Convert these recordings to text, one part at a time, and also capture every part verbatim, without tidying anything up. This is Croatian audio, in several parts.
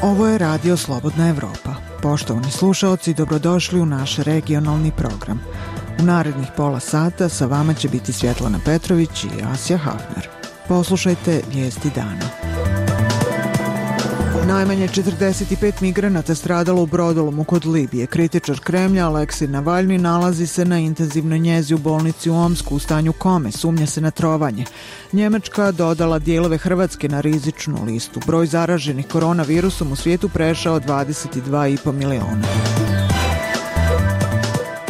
Ovo je Radio Slobodna Evropa. Poštovani slušaoci, dobrodošli u naš regionalni program. U narednih pola sata sa vama će biti Svjetlana Petrović i Asja Hafner. Poslušajte vijesti dana. Najmanje četrdeset pet migranata stradalo u brodolomu kod Libije. Kritičar Kremlja Aleksej Navalni nalazi se na intenzivnoj njezi u bolnici u Omsku u stanju kome, sumnja se na trovanje. Njemačka dodala dijelove Hrvatske na rizičnu listu. Broj zaraženih koronavirusom u svijetu prešao dvadeset dva i po miliona.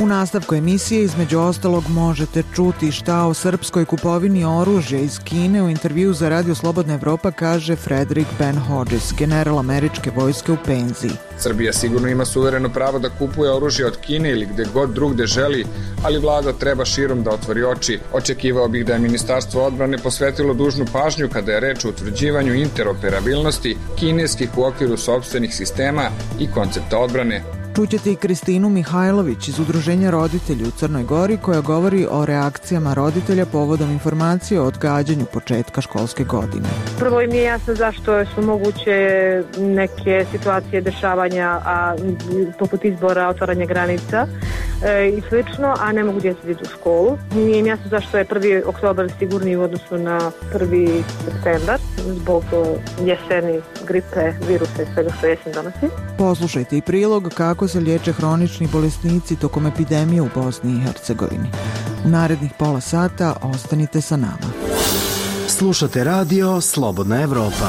U nastavku emisije između ostalog možete čuti šta o srpskoj kupovini oružja iz Kine. U intervju za Radio Slobodna Evropa kaže Frederick Ben Hodges, general američke vojske u penziji. Srbija sigurno ima suvereno pravo da kupuje oružje od Kine ili gde god drugde želi, ali vlada treba širom da otvori oči. Očekivao bih da je Ministarstvo odbrane posvetilo dužnu pažnju kada je reč o utvrđivanju interoperabilnosti kineskih u okviru sopstvenih sistema i koncepta odbrane. Čućete i Kristinu Mihajlović iz Udruženja roditelji u Crnoj Gori koja govori o reakcijama roditelja povodom informacije o odgađanju početka školske godine. Prvo im je jasno zašto su moguće neke situacije dešavanja, a poput izbora, otvaranja granica e, i slično, a ne mogu djeca ići u školu. Nije im jasno zašto je prvi oktobar sigurniji u odnosu na prvi septembar zbog jeseni, gripe, virusa i svega što jesen donosi. Poslušajte i prilog kako se liječe hronični bolesnici tokom epidemije u Bosni i Hercegovini. U narednih pola sata ostanite sa nama. Slušate Radio Slobodna Evropa.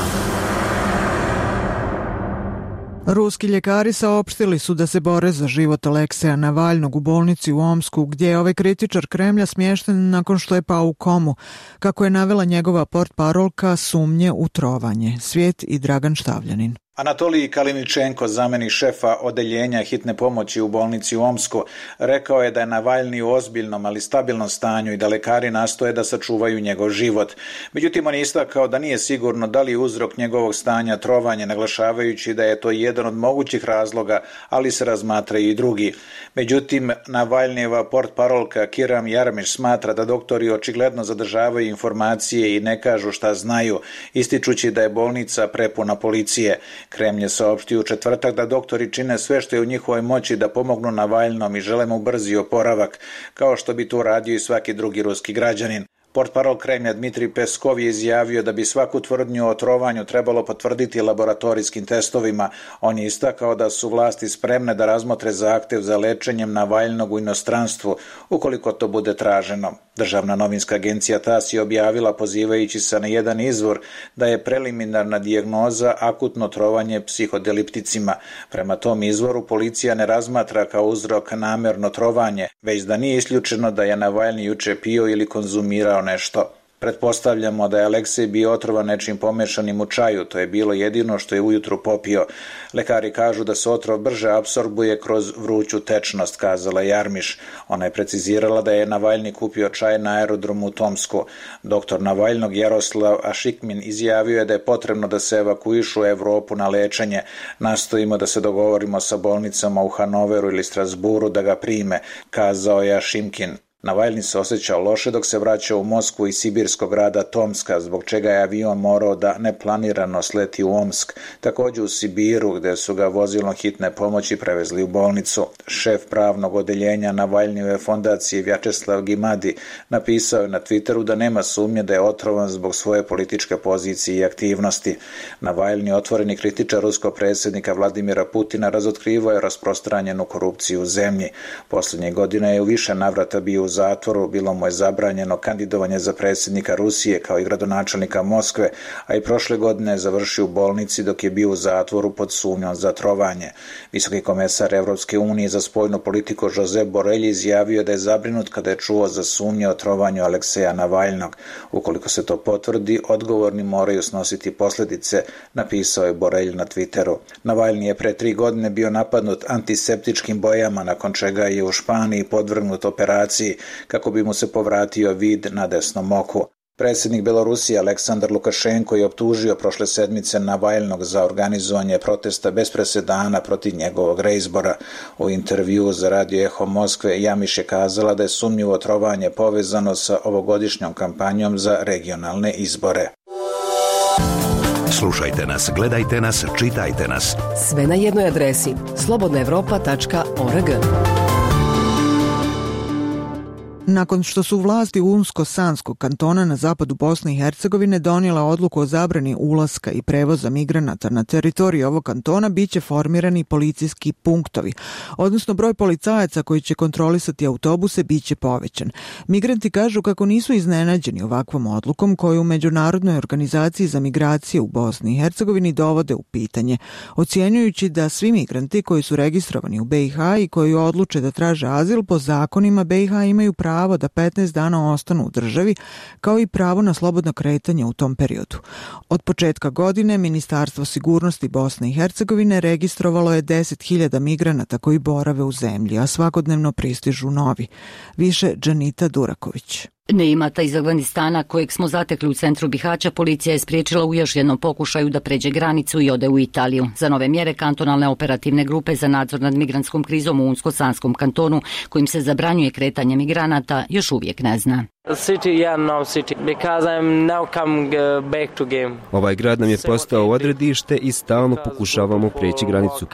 Ruski ljekari saopštili su da se bore za život Alekseja Navalnog u bolnici u Omsku, gdje je ovaj kritičar Kremlja smješten nakon što je pao u komu. Kako je navela njegova portparolka, sumnje u trovanje. Svijet i Dragan Štavljanin. Anatolij Kaliničenko, zamjenik šefa odeljenja hitne pomoći u bolnici u Omsku, rekao je da je Navalni u ozbiljnom, ali stabilnom stanju i da lekari nastoje da sačuvaju njegov život. Međutim, on je istakao da nije sigurno da li je uzrok njegovog stanja trovanje, naglašavajući da je to jedan od mogućih razloga, ali se razmatraju i drugi. Međutim, Navalnijeva portparolka Kiram Jarmiš smatra da doktori očigledno zadržavaju informacije i ne kažu šta znaju, ističući da je bolnica prepuna policije. Kremlj je saopštio u četvrtak da doktori čine sve što je u njihovoj moći da pomognu Navalnom i žele mu brzi oporavak, kao što bi to radio i svaki drugi ruski građanin. Portparol Kremlja Dmitrij Peskov je izjavio da bi svaku tvrdnju o trovanju trebalo potvrditi laboratorijskim testovima. On je istakao da su vlasti spremne da razmotre zahtjev za lečenjem Navalnog u inostranstvu, ukoliko to bude traženo. Državna novinska agencija TASS je objavila, pozivajući se na jedan izvor, da je preliminarna dijagnoza akutno trovanje psihodelipticima. Prema tom izvoru policija ne razmatra kao uzrok namjerno trovanje, već da nije isključeno da je Navalni juče pio ili konzumirao nešto. Pretpostavljamo da je Aleksej bio otrovan nečim pomešanim u čaju, to je bilo jedino što je ujutru popio. Lekari kažu da se otrov brže apsorbuje kroz vruću tečnost, kazala Jarmiš. Ona je precizirala da je Navalni kupio čaj na aerodromu u Tomsku. Doktor Navalnog Jaroslav Ašikmin izjavio je da je potrebno da se evakuišu u Evropu na lečenje. Nastojimo da se dogovorimo sa bolnicama u Hanoveru ili Strasburu da ga prime, kazao je Ašimkin. Navalni se osjećao loše dok se vraćao u Moskvu iz sibirskog grada Tomska, zbog čega je avion morao da neplanirano sleti u Omsk, također u Sibiru, gdje su ga vozilom hitne pomoći prevezli u bolnicu. Šef pravnog odeljenja Navalnijeve fondacije Vjačeslav Gimadi napisao je na Twitteru da nema sumnje da je otrovan zbog svoje političke pozicije i aktivnosti. Navalni, otvoreni kritičar ruskog predsjednika Vladimira Putina, razotkrivao je rasprostranjenu korupciju u zemlji. Posljednje godine je u više navrata bio u zatvoru, bilo mu je zabranjeno kandidovanje za predsjednika Rusije kao i gradonačelnika Moskve, a i prošle godine je završio u bolnici dok je bio u zatvoru pod sumnjom za trovanje. Visoki komesar Evropske unije za spoljnu politiku Josep Borrell izjavio da je zabrinut kada je čuo za sumnje o trovanju Alekseja Navalnog. Ukoliko se to potvrdi, odgovorni moraju snositi posljedice, napisao je Borrell na Twitteru. Navalni je pre tri godine bio napadnut antiseptičkim bojama, nakon čega je u Španiji podvrgnut operaciji kako bi mu se povratio vid na desnom oku. Predsjednik Belorusije Aleksandar Lukašenko je optužio prošle sedmice Navalnog za organizovanje protesta bez presedana protiv njegovog reizbora. U intervjuu za Radio Eho Moskve Jamiš je kazala da je sumnjivo trovanje povezano sa ovogodišnjom kampanjom za regionalne izbore. Slušajte nas, gledajte nas, čitajte nas. Sve na jednoj adresi slobodna evropa tačka org. Nakon što su vlasti Unsko-Sanskog kantona na zapadu Bosne i Hercegovine donijela odluku o zabrani ulaska i prevoza migranata na teritoriju ovog kantona, bit će formirani policijski punktovi, odnosno broj policajaca koji će kontrolisati autobuse bit će povećan. Migranti kažu kako nisu iznenađeni ovakvom odlukom koju u Međunarodnoj organizaciji za migracije u Bosni i Hercegovini dovode u pitanje, ocjenjujući da svi migranti koji su registrovani u be i ha i koji odluče da traže azil po zakonima be i ha imaju pravo pravo da petnaest dana ostanu u državi, kao i pravo na slobodno kretanje u tom periodu. Od početka godine Ministarstvo sigurnosti Bosne i Hercegovine registrovalo je deset hiljada migranata koji borave u zemlji, a svakodnevno pristižu novi. Više Džanita Duraković. Neimata iz Afganistana, kojeg smo zatekli u centru Bihaća, policija je spriječila u još jednom pokušaju da pređe granicu i ode u Italiju. Za nove mjere kantonalne operativne grupe za nadzor nad migrantskom krizom u Unsko-Sanskom kantonu, kojim se zabranjuje kretanje migranata, još uvijek ne zna. Ovaj grad nam je postao odredište i stalno pokušavamo preći granicu.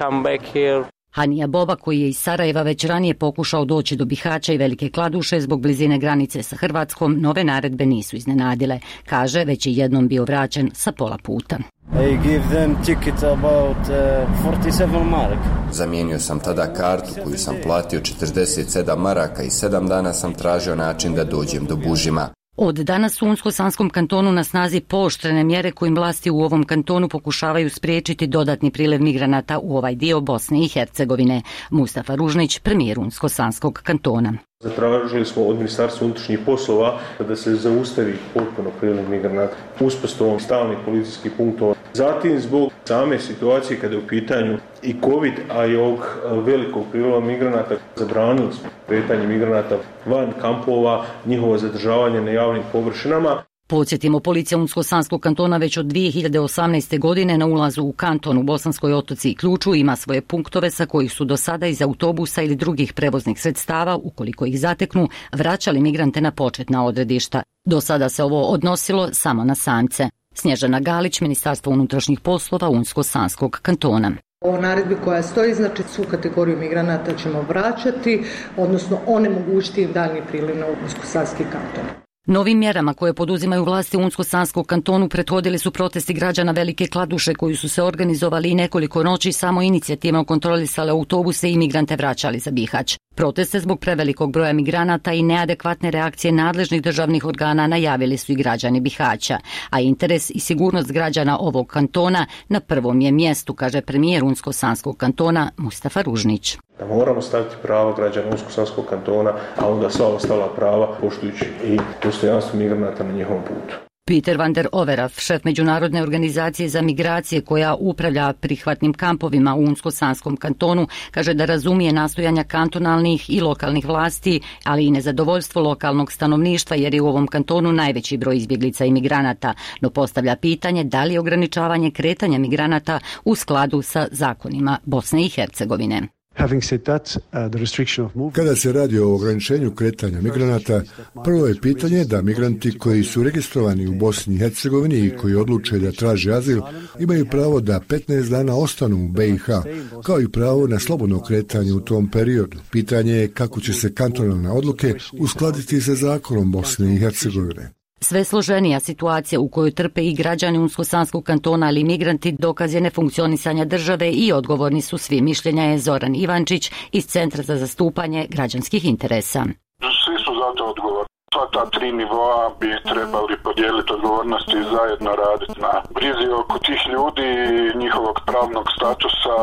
Hanija Boba, koji je iz Sarajeva već ranije pokušao doći do Bihaća i Velike Kladuše zbog blizine granice sa Hrvatskom, nove naredbe nisu iznenadile. Kaže, već je jednom bio vraćen sa pola puta. I give them ticket about uh, forty-seven mark. Zamijenio sam tada kartu koju sam platio četrdeset sedam maraka i sedam dana sam tražio način da dođem do Bužima. Od danas u Unsko-Sanskom kantonu na snazi pooštrene mjere kojim vlasti u ovom kantonu pokušavaju spriječiti dodatni priliv migranata u ovaj dio Bosne i Hercegovine. Mustafa Ružnić, premijer Unsko-Sanskog kantona. Zatražili smo od Ministarstva unutrašnjih poslova da se zaustavi potpuno priliv migranata uspostavom stalnih policijskih punktova. Zatim zbog same situacije kada je u pitanju i COVID, a i ovog velikog priliva migranata, zabranili smo kretanje migranata van kampova, njihovo zadržavanje na javnim površinama. Podsjetimo, policija Unsko-Sanskog kantona već od dvije hiljade osamnaeste. godine na ulazu u kanton u Bosanskoj Otoci i Ključu ima svoje punktove sa kojih su do sada iz autobusa ili drugih prevoznih sredstava, ukoliko ih zateknu, vraćali migrante na početna odredišta. Do sada se ovo odnosilo samo na samce. Snježana Galić, Ministarstvo unutrašnjih poslova Unsko-Sanskog kantona. O naredbi koja stoji, znači svu kategoriju migranata ćemo vraćati, odnosno onemogućiti im daljnji priliv na Unsko-Sanski kanton. Novim mjerama koje poduzimaju vlasti u Unsko-Sanskom kantonu prethodili su protesti građana Velike Kladuše koji su se organizovali i nekoliko noći samo inicijativno kontrolisale autobuse i migrante vraćali za Bihać. Proteste zbog prevelikog broja migranata i neadekvatne reakcije nadležnih državnih organa najavili su i građani Bihaća, a interes i sigurnost građana ovog kantona na prvom je mjestu, kaže premijer Unsko-Sanskog kantona Mustafa Ružnić. Da moramo staviti prava građana Unsko-Sanskog kantona, a onda sva ostala prava poštujući i dostojanstvo migranata na njihovom putu. Peter van der Overaf, šef Međunarodne organizacije za migracije koja upravlja prihvatnim kampovima u Unsko-Sanskom kantonu, kaže da razumije nastojanja kantonalnih i lokalnih vlasti, ali i nezadovoljstvo lokalnog stanovništva jer je u ovom kantonu najveći broj izbjeglica i migranata, no postavlja pitanje da li je ograničavanje kretanja migranata u skladu sa zakonima Bosne i Hercegovine. Kada se radi o ograničenju kretanja migranata, prvo je pitanje da migranti koji su registrovani u Bosni i Hercegovini i koji odluče da traže azil imaju pravo da petnaest dana ostanu u be i ha, kao i pravo na slobodno kretanje u tom periodu. Pitanje je kako će se kantonalne odluke uskladiti sa zakonom Bosne i Hercegovine. Sve složenija situacija u kojoj trpe i građani Unsko-Sanskog kantona, ali i migranti, dokaz je nefunkcionisanja države i odgovorni su svi, mišljenja je Zoran Ivančić iz Centra za zastupanje građanskih interesa. Svi su za to odgovorni. Sva ta tri nivoa bi trebali podijeliti odgovornosti i zajedno raditi na brizi oko tih ljudi, njihovog pravnog statusa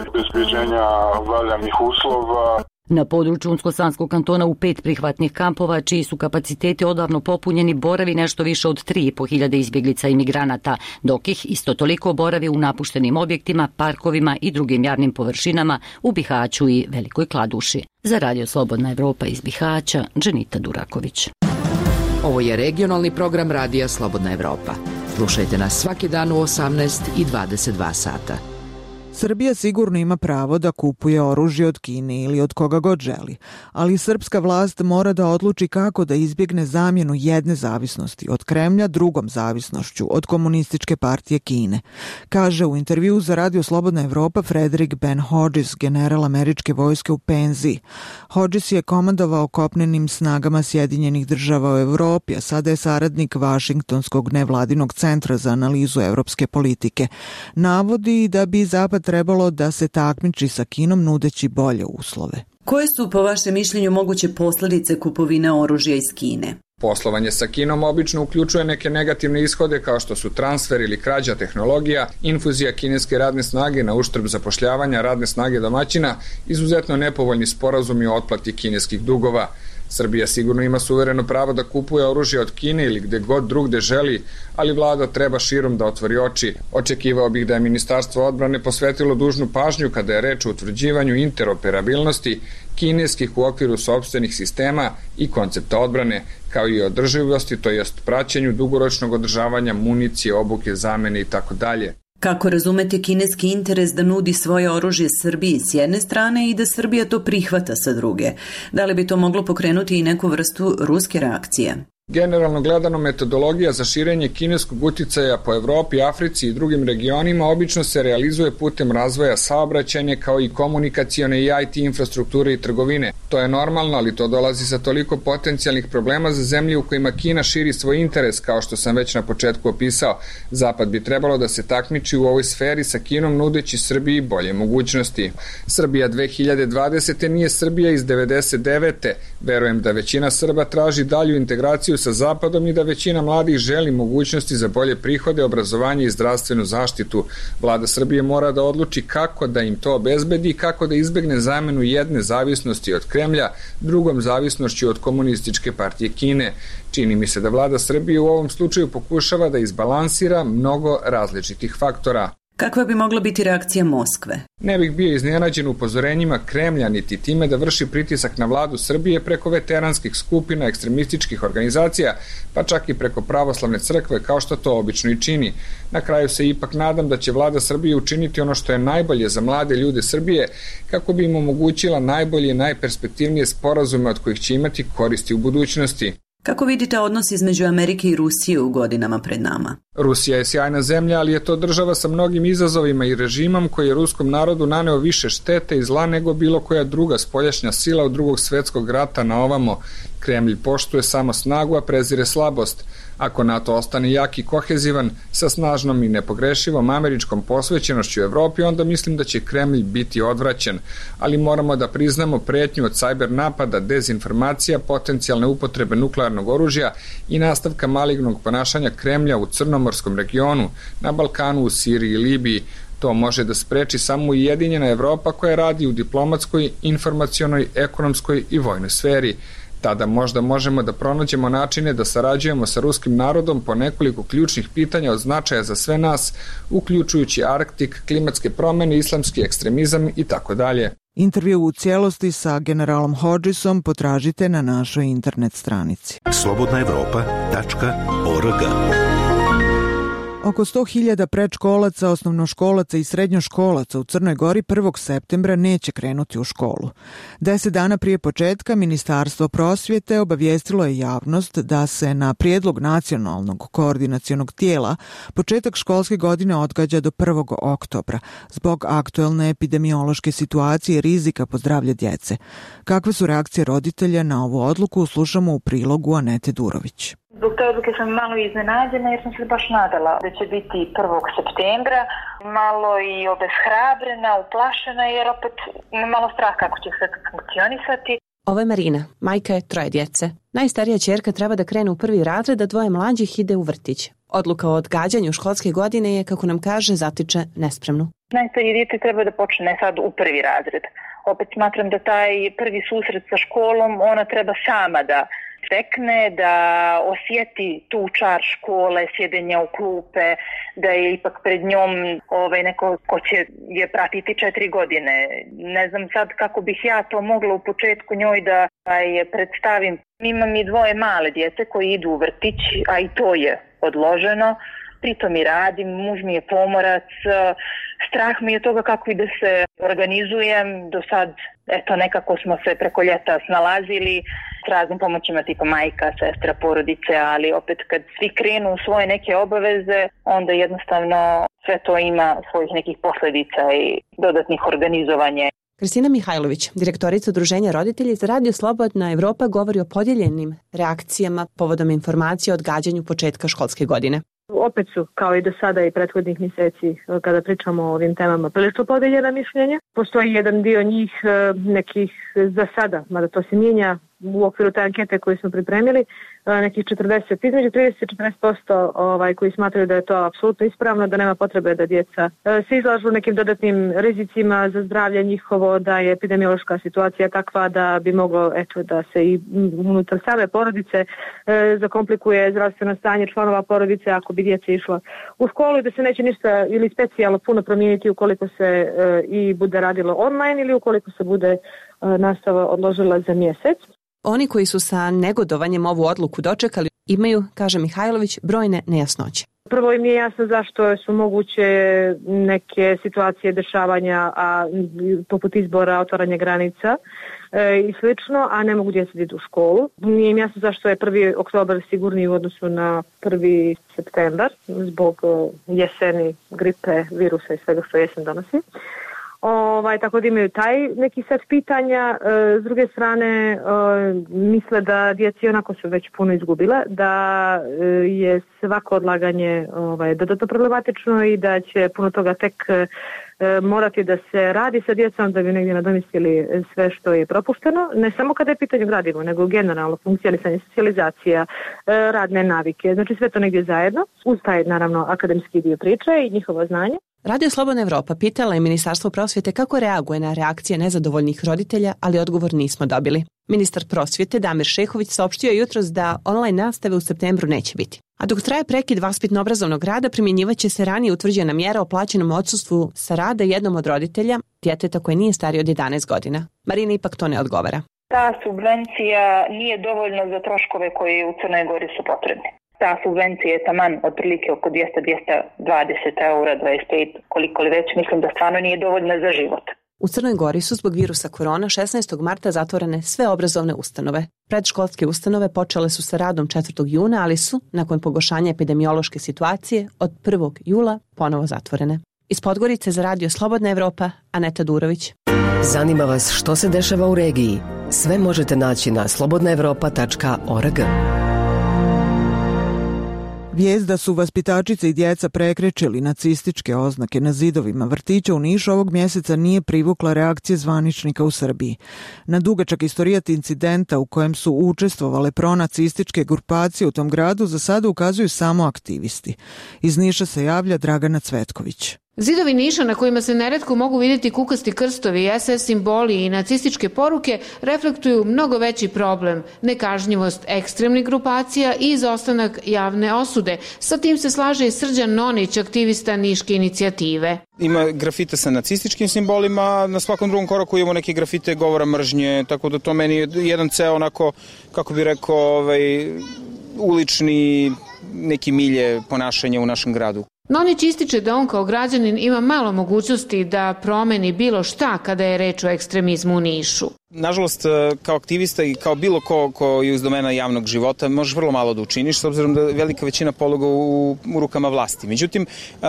i bezbjeđenja valjanih uslova. Na području Unsko-Sanskog kantona u pet prihvatnih kampova, čiji su kapaciteti odavno popunjeni, boravi nešto više od tri i po hiljade izbjeglica i migranata, dok ih isto toliko boravi u napuštenim objektima, parkovima i drugim javnim površinama u Bihaću i Velikoj Kladuši. Za Radio Slobodna Evropa iz Bihaća, Dženita Duraković. Ovo je regionalni program Radija Slobodna Evropa. Slušajte nas svaki dan u osamnaest i dvadeset dva sata. Srbija sigurno ima pravo da kupuje oružje od Kine ili od koga god želi, ali srpska vlast mora da odluči kako da izbjegne zamjenu jedne zavisnosti od Kremlja drugom zavisnošću od komunističke partije Kine, kaže u intervju za Radio Slobodna Evropa Frederick Ben Hodges, general američke vojske u penziji. Hodges je komandovao kopnenim snagama Sjedinjenih država u Evropi, a sada je saradnik Vašingtonskog nevladinog centra za analizu evropske politike. Navodi da bi Zapad trebalo da se takmiči sa Kinom nudeći bolje uslove. Koje su po vašem mišljenju moguće posljedice kupovine oružja iz Kine? Poslovanje sa Kinom obično uključuje neke negativne ishode kao što su transfer ili krađa tehnologija, infuzija kineske radne snage na uštrb zapošljavanja radne snage domaćina, izuzetno nepovoljni sporazumi o otplati kineskih dugova. Srbija sigurno ima suvereno pravo da kupuje oružje od Kine ili gde god drugde želi, ali vlada treba širom da otvori oči. Očekivao bih da je Ministarstvo odbrane posvetilo dužnu pažnju kada je reč o utvrđivanju interoperabilnosti kineskih u okviru sopstvenih sistema i koncepta odbrane, kao i održivosti, to jest praćenju dugoročnog održavanja municije, obuke, zamene i tako dalje. Kako razumete kineski interes da nudi svoje oružje Srbiji s jedne strane i da Srbija to prihvata sa druge? Da li bi to moglo pokrenuti i neku vrstu ruske reakcije? Generalno gledano, metodologija za širenje kineskog uticaja po Evropi, Africi i drugim regionima obično se realizuje putem razvoja saobraćajne kao i komunikacione i I T infrastrukture i trgovine. To je normalno, ali to dolazi sa toliko potencijalnih problema za zemlje u kojima Kina širi svoj interes, kao što sam već na početku opisao. Zapad bi trebalo da se takmiči u ovoj sferi sa Kinom nudeći Srbiji bolje mogućnosti. Srbija dve hiljade dvadesete nije Srbija iz devedeset devete. Verujem da većina Srba traži dalju integraciju sa Zapadom i da većina mladih želi mogućnosti za bolje prihode, obrazovanje i zdravstvenu zaštitu. Vlada Srbije mora da odluči kako da im to obezbedi i kako da izbegne zamenu jedne zavisnosti od Kremlja drugom zavisnošću od komunističke partije Kine. Čini mi se da vlada Srbije u ovom slučaju pokušava da izbalansira mnogo različitih faktora. Kakva bi mogla biti reakcija Moskve? Ne bih bio iznenađen upozorenjima Kremlja niti time da vrši pritisak na vladu Srbije preko veteranskih skupina, ekstremističkih organizacija, pa čak i preko pravoslavne crkve, kao što to obično i čini. Na kraju se ipak nadam da će vlada Srbije učiniti ono što je najbolje za mlade ljude Srbije, kako bi im omogućila najbolje i najperspektivnije sporazume od kojih će imati koristi u budućnosti. Kako vidite odnos između Amerike i Rusije u godinama pred nama? Rusija je sjajna zemlja, ali je to država sa mnogim izazovima i režimom koji je ruskom narodu naneo više štete i zla nego bilo koja druga spoljašnja sila od drugog svjetskog rata na ovamo. Kremlj poštuje samo snagu, a prezire slabost. Ako NATO ostane jak i kohezivan, sa snažnom i nepogrešivom američkom posvećenošću u Evropi, onda mislim da će Kremlj biti odvraćen. Ali moramo da priznamo pretnju od sajber napada, dezinformacija, potencijalne upotrebe nuklearnog oružja i nastavka malignog ponašanja Kremlja u Crnomorskom regionu, na Balkanu, u Siriji i Libiji. To može da spreči samo ujedinjena Evropa koja radi u diplomatskoj, informacionoj, ekonomskoj i vojnoj sferi. Tada možda možemo da pronađemo načine da sarađujemo sa ruskim narodom po nekoliko ključnih pitanja od značaja za sve nas, uključujući Arktik, klimatske promjene, islamski ekstremizam i tako dalje. Intervju u cijelosti sa generalom Hodgesom potražite na našoj internet stranici. slobodna evropa tačka org. Oko sto hiljada predškolaca, osnovnoškolaca i srednjoškolaca u Crnoj Gori prvog septembra neće krenuti u školu. Deset dana prije početka Ministarstvo prosvjete obavijestilo je javnost da se na prijedlog nacionalnog koordinacionog tijela početak školske godine odgađa do prvog oktobra zbog aktuelne epidemiološke situacije i rizika po zdravlje djece. Kakve su reakcije roditelja na ovu odluku, slušamo u prilogu Anete Durović. Zbog te odluke sam malo iznenađena jer sam se baš nadala da će biti prvog septembra, malo i obeshrabrena, uplašena jer opet malo strah kako će sve funkcionisati. Ovo je Marina, majka je troje djece. Najstarija ćerka treba da krene u prvi razred, a dvoje mlađih ide u vrtić. Odluka o odgađanju školske godine je, kako nam kaže, zatiče nespremnu. Najstarije dijete treba da počne sad u prvi razred. Opet smatram da taj prvi susret sa školom ona treba sama da stekne, da osjeti tu čar škole, sjedenja u klupe, da je ipak pred njom ovaj, neko ko će je pratiti četiri godine. Ne znam sad kako bih ja to mogla u početku njoj da je predstavim. Imam i dvoje male djece koji idu u vrtić, a i to je odloženo. pritom i radim, muž mi je pomorac, strah mi je toga kako i da se organizujem. Do sad, eto, nekako smo se preko ljeta snalazili s raznim pomoćima tipa majka, sestra, porodice, ali opet kad svi krenu u svoje neke obaveze, onda jednostavno sve to ima svojih nekih posledica i dodatnih organizovanja. Kristina Mihajlović, direktorica Udruženja roditelji za Radio Slobodna Evropa, govori o podijeljenim reakcijama povodom informacije o odgađanju početka školske godine. Opet su, kao i do sada i prethodnih mjeseci, kada pričamo o ovim temama, prilično podeljena mišljenja. Postoji jedan dio njih nekih za sada, mada to se mijenja u okviru te ankete koju smo pripremili, nekih četrdeset, između trideset i četrdeset posto ovaj, koji smatraju da je to apsolutno ispravno, da nema potrebe da djeca se izlažu nekim dodatnim rizicima za zdravlje njihovo, da je epidemiološka situacija takva da bi moglo eto, da se i unutar same porodice e, zakomplikuje zdravstveno stanje članova porodice ako bi djeca išla u školu i da se neće ništa ili specijalno puno promijeniti ukoliko se e, i bude radilo online ili ukoliko se bude e, nastava odložila za mjesec. Oni koji su sa negodovanjem ovu odluku dočekali imaju, kaže Mihajlović, brojne nejasnoće. Prvo im nije jasno zašto su moguće neke situacije dešavanja, a poput izbora, otvaranja granica e, i slično, a ne mogu djeca ići u školu. Nije im jasno zašto je prvi oktobar sigurniji u odnosu na prvi septembar zbog jeseni, gripe, virusa i svega što jesen donosi. Ovaj, tako da imaju taj neki set pitanja. E, s druge strane, e, misle da djeci onako su već puno izgubile, da e, je svako odlaganje ovaj, dodatno problematično i da će puno toga tek e, morati da se radi sa djecom da bi negdje nadomjestili sve što je propušteno. Ne samo kada je pitanje gradivo, nego generalno funkcionisanje, socijalizacija, e, radne navike. Znači sve to negdje zajedno, uz taj naravno akademski dio priče i njihovo znanje. Radio Slobodna Evropa pitala je Ministarstvo prosvjete kako reaguje na reakcije nezadovoljnih roditelja, ali odgovor nismo dobili. Ministar prosvjete Damir Šehović saopštio je jutros da online nastave u septembru neće biti. A dok traje prekid vaspitno-obrazovnog rada, primjenjivaće se ranije utvrđena mjera o plaćenom odsustvu sa rada jednom od roditelja, djeteta koje nije starije od jedanaest godina. Marina ipak to ne odgovara. Ta subvencija nije dovoljna za troškove koji u Crnoj Gori su potrebni. Ta subvencija je taman otprilike oko dvjesto do dvjesto dvadeset eura, dvadeset pet, koliko li već, mislim da stvarno nije dovoljna za život. U Crnoj Gori su zbog virusa korona šesnaestog marta zatvorene sve obrazovne ustanove. Predškolske ustanove počele su sa radom četvrtog juna, ali su, nakon pogoršanja epidemiološke situacije, od prvog jula ponovo zatvorene. Iz Podgorice za Radio Slobodna Evropa, Aneta Durović. Zanima vas što se dešava u regiji? Sve možete naći na slobodna evropa tačka org. Vijest da su vaspitačice i djeca prekrečili nacističke oznake na zidovima vrtića u Nišu ovog mjeseca nije privukla reakcije zvaničnika u Srbiji. Na dugačak istorijat incidenta u kojem su učestvovale pronacističke grupacije u tom gradu za sada ukazuju samo aktivisti. Iz Niša se javlja Dragana Cvetković. Zidovi Niša na kojima se neretko mogu vidjeti kukasti krstovi, es es simboli i nacističke poruke reflektuju mnogo veći problem, nekažnjivost ekstremnih grupacija i izostanak javne osude. Sa tim se slaže i Srđan Nonić, aktivista Niške inicijative. Ima grafite sa nacističkim simbolima, na svakom drugom koraku imamo neke grafite govora mržnje, tako da to meni je jedan ceo onako, kako bi rekao, ovaj, ulični neki milje ponašanja u našem gradu. Nonić ističe da on kao građanin ima malo mogućnosti da promeni bilo šta kada je reč o ekstremizmu u Nišu. Nažalost, kao aktivista i kao bilo ko, ko je uz domena javnog života, možeš vrlo malo da učiniš, s obzirom da je velika većina pologa u, u rukama vlasti. Međutim,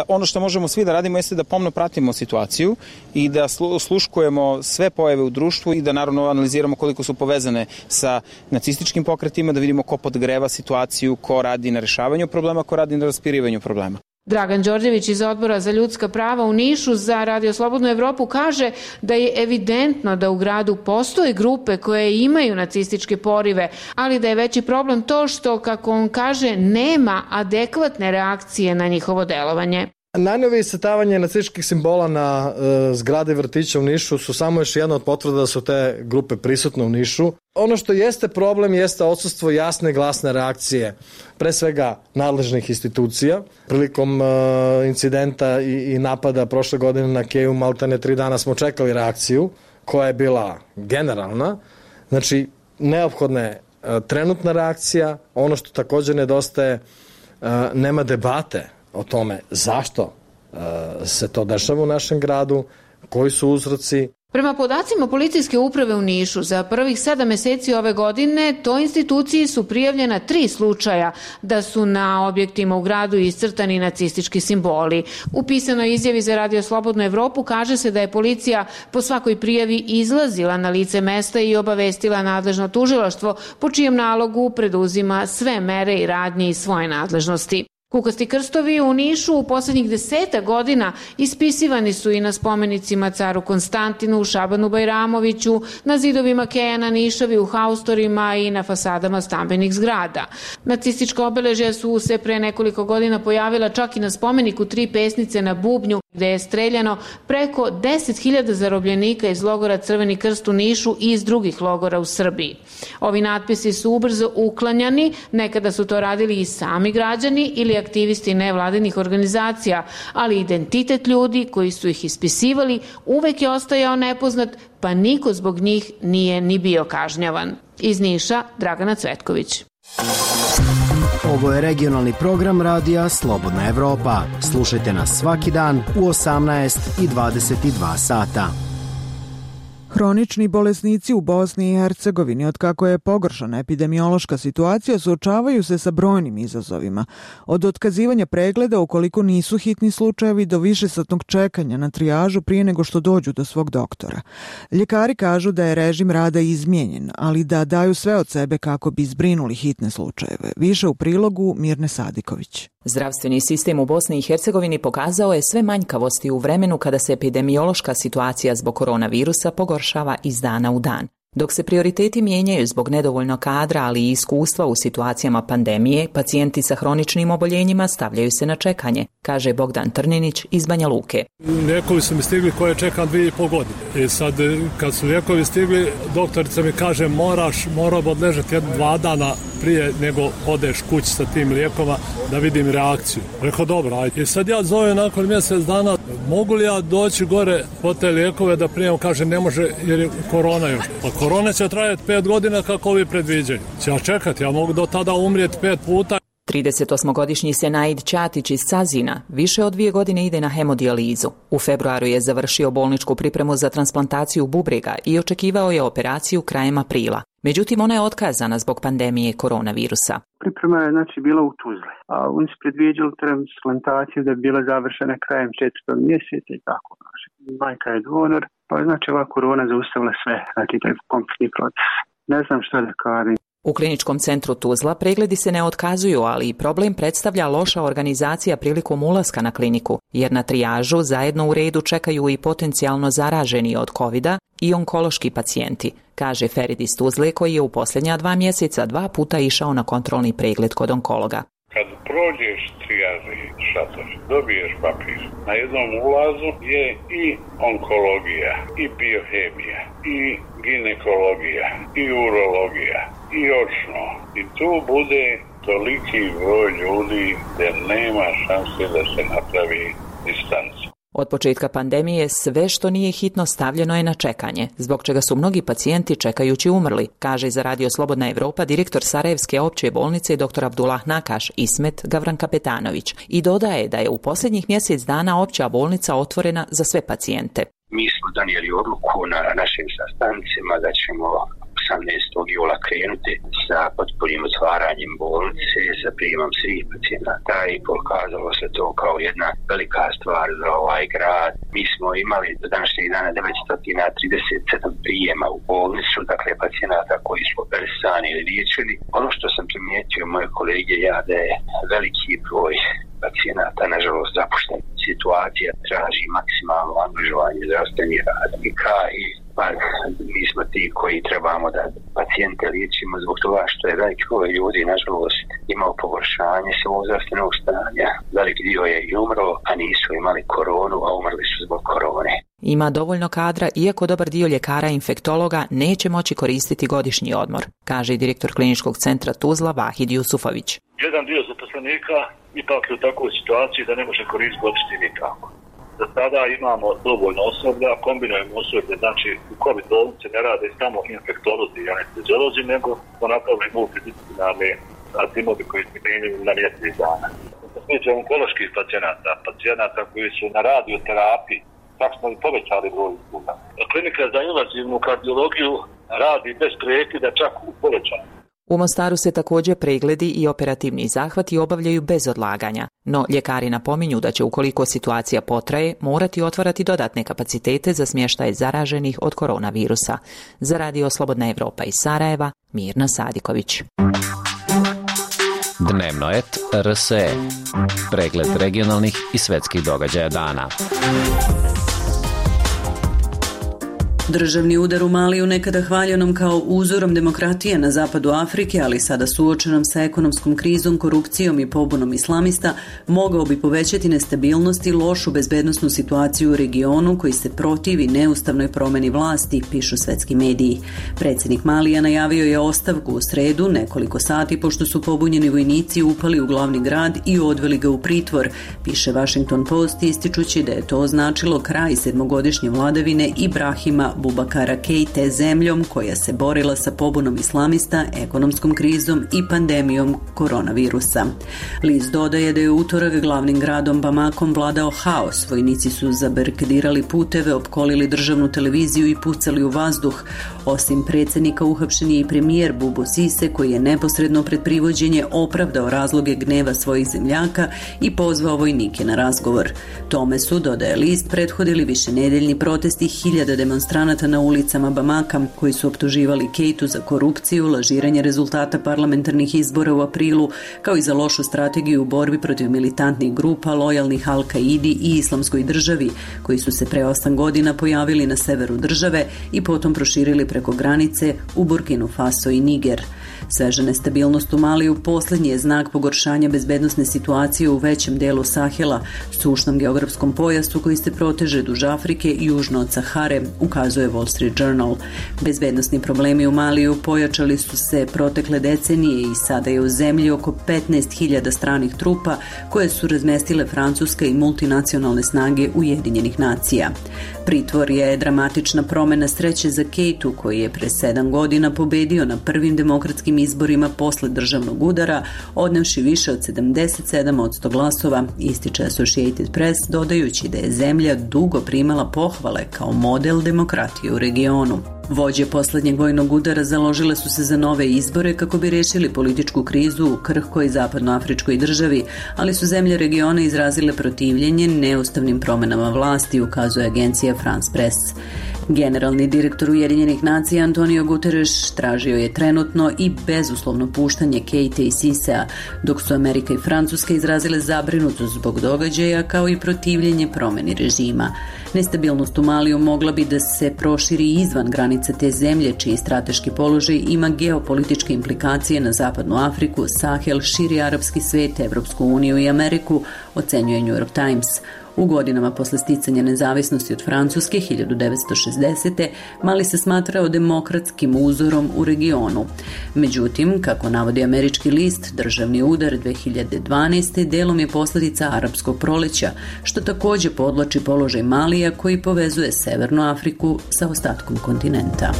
ono što možemo svi da radimo jeste da pomno pratimo situaciju i da osluškujemo sve pojave u društvu i da naravno analiziramo koliko su povezane sa nacističkim pokretima, da vidimo ko podgreva situaciju, ko radi na rešavanju problema, ko radi na raspirivanju problema. Dragan Đorđević iz Odbora za ljudska prava u Nišu za Radio Slobodnu Evropu kaže da je evidentno da u gradu postoje grupe koje imaju nacističke porive, ali da je veći problem to što, kako on kaže, nema adekvatne reakcije na njihovo delovanje. Najnovije iscrtavanje nacističkih simbola na e, zgrade vrtića u Nišu su samo još jedna od potvrda da su te grupe prisutne u Nišu. Ono što jeste problem jeste odsustvo jasne i glasne reakcije, pre svega nadležnih institucija. Prilikom e, incidenta i, i napada prošle godine na Keju, maltene tri dana smo čekali reakciju koja je bila generalna. Znači, neophodna je e, trenutna reakcija. Ono što također nedostaje, e, nema debate o tome zašto uh, se to dešava u našem gradu, koji su uzroci. Prema podacima policijske uprave u Nišu, za prvih sedam meseci ove godine toj instituciji su prijavljena tri slučaja da su na objektima u gradu iscrtani nacistički simboli. U pisanoj izjavi za Radio Slobodnu Evropu kaže se da je policija po svakoj prijavi izlazila na lice mesta i obavestila nadležno tužilaštvo, po čijem nalogu preduzima sve mere i radnje iz svoje nadležnosti. Kukasti krstovi u Nišu u posljednjih deseta godina ispisivani su i na spomenicima caru Konstantinu, Šabanu Bajramoviću, na zidovima Kejana Nišavi, u haustorima i na fasadama stambenih zgrada. Nacistička obeležja su se pre nekoliko godina pojavila čak i na spomeniku Tri pesnice na bubnju, gde je streljano preko deset hiljada zarobljenika iz logora Crveni krst u Nišu i iz drugih logora u Srbiji. Ovi natpisi su ubrzo uklanjani, nekada su to radili i sami građani ili aktivisti nevladinih organizacija, ali identitet ljudi koji su ih ispisivali uvek je ostajao nepoznat, pa niko zbog njih nije ni bio kažnjavan. Iz Niša, Dragana Cvetković. Ovo je regionalni program radija Slobodna Evropa. Slušajte nas svaki dan u osamnaest i dvadeset dva sata. Hronični bolesnici u Bosni i Hercegovini, od kako je pogoršana epidemiološka situacija, suočavaju se sa brojnim izazovima. Od otkazivanja pregleda ukoliko nisu hitni slučajevi do višesatnog čekanja na trijažu prije nego što dođu do svog doktora. Ljekari kažu da je režim rada izmijenjen, ali da daju sve od sebe kako bi zbrinuli hitne slučajeve. Više u prilogu Mirne Sadiković. Zdravstveni sistem u Bosni i Hercegovini pokazao je sve manjkavosti u vremenu kada se epidemiološka situacija zbog koronavirusa pogoršava iz dana u dan. Dok se prioriteti mijenjaju zbog nedovoljno kadra, ali i iskustva u situacijama pandemije, pacijenti sa hroničnim oboljenjima stavljaju se na čekanje, kaže Bogdan Trninić iz Banja Luke. Lijekovi su mi stigli koje čekam dvije i pol godine. I sad kad su lijekovi stigli, doktorica mi kaže moraš, mora odležati jedno dva dana prije nego odeš kući sa tim lijekova da vidim reakciju. Rekao dobro, ajde. I sad ja zovem nakon mjesec dana, mogu li ja doći gore po te lijekove da prijem, kaže ne može jer je korona još. Pa korona će trajati pet godina kako ovi predviđaju. Će ja čekati, ja mogu do tada umrijeti pet puta. tridesetosmogodišnji Senaid Ćatić iz Cazina više od dvije godine ide na hemodijalizu. U februaru je završio bolničku pripremu za transplantaciju bubrega i očekivao je operaciju krajem aprila. Međutim, ona je otkazana zbog pandemije koronavirusa. Priprema je znači bila u Tuzli, a oni su predviđali transplantaciju da bi bila završena krajem četvrtog mjeseca i tako. Znači, majka je donor, pa znači ova korona zaustavila sve, znači taj kompletni proces. Ne znam što da kažem. U kliničkom centru Tuzla pregledi se ne otkazuju, ali i problem predstavlja loša organizacija prilikom ulaska na kliniku, jer na trijažu zajedno u redu čekaju i potencijalno zaraženi od kovida i onkološki pacijenti, kaže Ferid iz Tuzle koji je u posljednja dva mjeseca dva puta išao na kontrolni pregled kod onkologa. Kad prođeš trijaži šator, dobiješ papir. Na jednom ulazu je i onkologija, i biohemija, i ginekologija, i urologija, i očno. I tu bude toliki broj ljudi da nema šanse da se napravi distanca. Od početka pandemije sve što nije hitno stavljeno je na čekanje, zbog čega su mnogi pacijenti čekajući umrli, kaže za Radio Slobodna Evropa direktor Sarajevske opće bolnice dr. Abdullah Nakaš Ismet Gavran Kapetanović i dodaje da je u posljednjih mjesec dana opća bolnica otvorena za sve pacijente. Mi smo donijeli odluku na našim sastancima da ćemo osamnaestog jula krenuti sa potpunim otvaranjem bolnice, sa prijemom svih pacijenata i pokazalo se to kao jedna velika stvar za ovaj grad. Mi smo imali do današnjeg dana devetsto trideset sedam prijema u bolnicu, dakle pacijenata koji su operisani ili liječeni. Ono što sam primijetio moje kolege ja da je veliki broj pacijenata, nažalost, zapušten. Situacija traži maksimalno angažovanje zdravstvenih radnika i pa mi smo ti koji trebamo da pacijente liječimo zbog toga što je veliki broj ljudi, nažalost, imao pogoršanje svog zdravstvenog stanja. Veliki dio je i umro, a nisu imali koronu, a umrli su zbog korone. Ima dovoljno kadra, iako dobar dio ljekara i infektologa neće moći koristiti godišnji odmor, kaže direktor kliničkog centra Tuzla Vahid Jusufović. Jedan dio zaposlenika ipak je u takvoj situaciji da ne može koristiti godišnji nikako. Za sada imamo dovoljno osoblja, kombinujemo osoblje, znači u COVID bolnice ne rade samo infektolozi i anesteziolozi, nego smo napravili multidisciplinarne timovi koji se mijenjaju na mjesec dana. tiče onkoloških pacijenata, pacijenata koji su na radioterapiji, tako smo i povećali broj usluga. Klinika za invazivnu kardiologiju radi bez prekida, čak u povećanju. U Mostaru se također pregledi i operativni zahvati obavljaju bez odlaganja, no ljekari napominju da će, ukoliko situacija potraje, morati otvarati dodatne kapacitete za smještaj zaraženih od koronavirusa. Za Radio Slobodna Evropa iz Sarajeva, Mirna Sadiković. Dnevno et R S E. Pregled regionalnih i svetskih događaja dana. Državni udar u Maliju, nekada hvaljenom kao uzorom demokratije na zapadu Afrike, ali sada suočenom sa ekonomskom krizom, korupcijom i pobunom islamista, mogao bi povećati nestabilnost i lošu bezbednosnu situaciju u regionu koji se protivi neustavnoj promjeni vlasti, pišu svetski mediji. Predsjednik Malija najavio je ostavku u sredu, nekoliko sati pošto su pobunjeni vojnici upali u glavni grad i odveli ga u pritvor, piše Washington Post, ističući da je to označilo kraj sedmogodišnje vladavine Ibrahima Bubakara Keite zemljom koja se borila sa pobunom islamista, ekonomskom krizom i pandemijom koronavirusa. List dodaje da je utorak glavnim gradom Bamakom vladao haos. Vojnici su zabarikadirali puteve, opkolili državnu televiziju i pucali u vazduh. Osim predsjednika, uhapšen je i premijer Bubu Sise, koji je neposredno pred privođenje opravdao razloge gneva svojih zemljaka i pozvao vojnike na razgovor. Tome su, dodaje list, prethodili višenedeljni protesti hiljada demonstranata na ulicama Bamaka, koji su optuživali Keitu za korupciju, lažiranje rezultata parlamentarnih izbora u aprilu, kao i za lošu strategiju u borbi protiv militantnih grupa lojalnih Al-Kaidi i Islamskoj državi, koji su se pre osam godina pojavili na severu države i potom proširili preko granice u Burkinu Faso i Niger. Sveža nestabilnost u Maliju posljednji je znak pogoršanja bezbednosne situacije u većem delu Sahela, sušnom geografskom pojasu koji se proteže duž Afrike i južno od Sahare, ukazuje Wall Street Journal. Bezbednosni problemi u Maliju pojačali su se protekle decenije i sada je u zemlji oko petnaest hiljada stranih trupa koje su razmestile Francuska i multinacionalne snage Ujedinjenih nacija. Pritvor je dramatična promjena sreće za Keitu, koji je pre sedam godina pobedio na prvim demokratskim izborima posle državnog udara, odnevši više od sedamdeset sedam posto glasova, ističe Associated Press, dodajući da je zemlja dugo primala pohvale kao model demokratije u regionu. Vođe posljednjeg vojnog udara založile su se za nove izbore kako bi rešili političku krizu u krhkoj zapadnoafričkoj državi, ali su zemlje regiona izrazile protivljenje neustavnim promjenama vlasti, ukazuje agencija France Press. Generalni direktor Ujedinjenih nacija Antonio Guterres tražio je trenutno i bezuslovno puštanje Keite i Sisea, dok su Amerika i Francuska izrazile zabrinutost zbog događaja kao i protivljenje promjeni režima. Nestabilnost u Maliju mogla bi da se proširi izvan granica te zemlje, čiji strateški položaj ima geopolitičke implikacije na zapadnu Afriku, Sahel, širi arapski svet, Evropsku uniju i Ameriku, ocenjuje New York Times. U godinama posle sticanja nezavisnosti od Francuske hiljadu devetsto šezdesete. Mali se smatrao demokratskim uzorom u regionu. Međutim, kako navodi američki list, državni udar dve hiljade dvanaeste. delom je posljedica arapskog proleća, što također podvlači položaj Malija koji povezuje Severnu Afriku sa ostatkom kontinenta.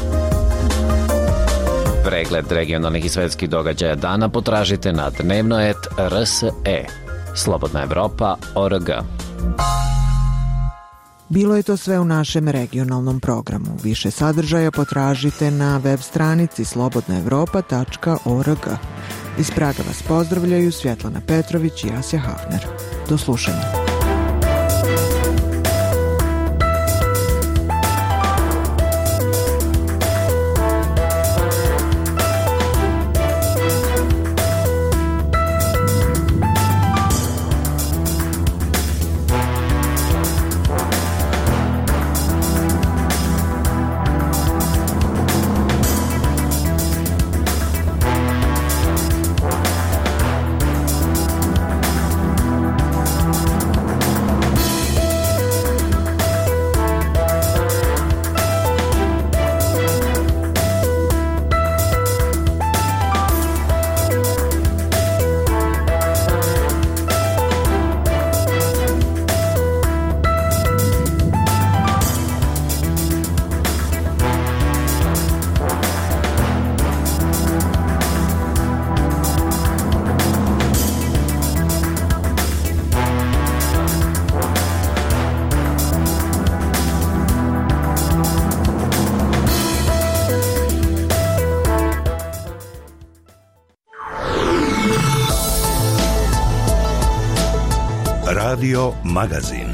Pregled regionalnih i svetskih događaja dana potražite na dnevno et R S E. Slobodna Evropa org. Bilo je to sve u našem regionalnom programu. Više sadržaja potražite na web stranici slobodna evropa tačka org. Iz Praga vas pozdravljaju Svjetlana Petrović i Asja Hafner. Do slušanja. Radio Magazin.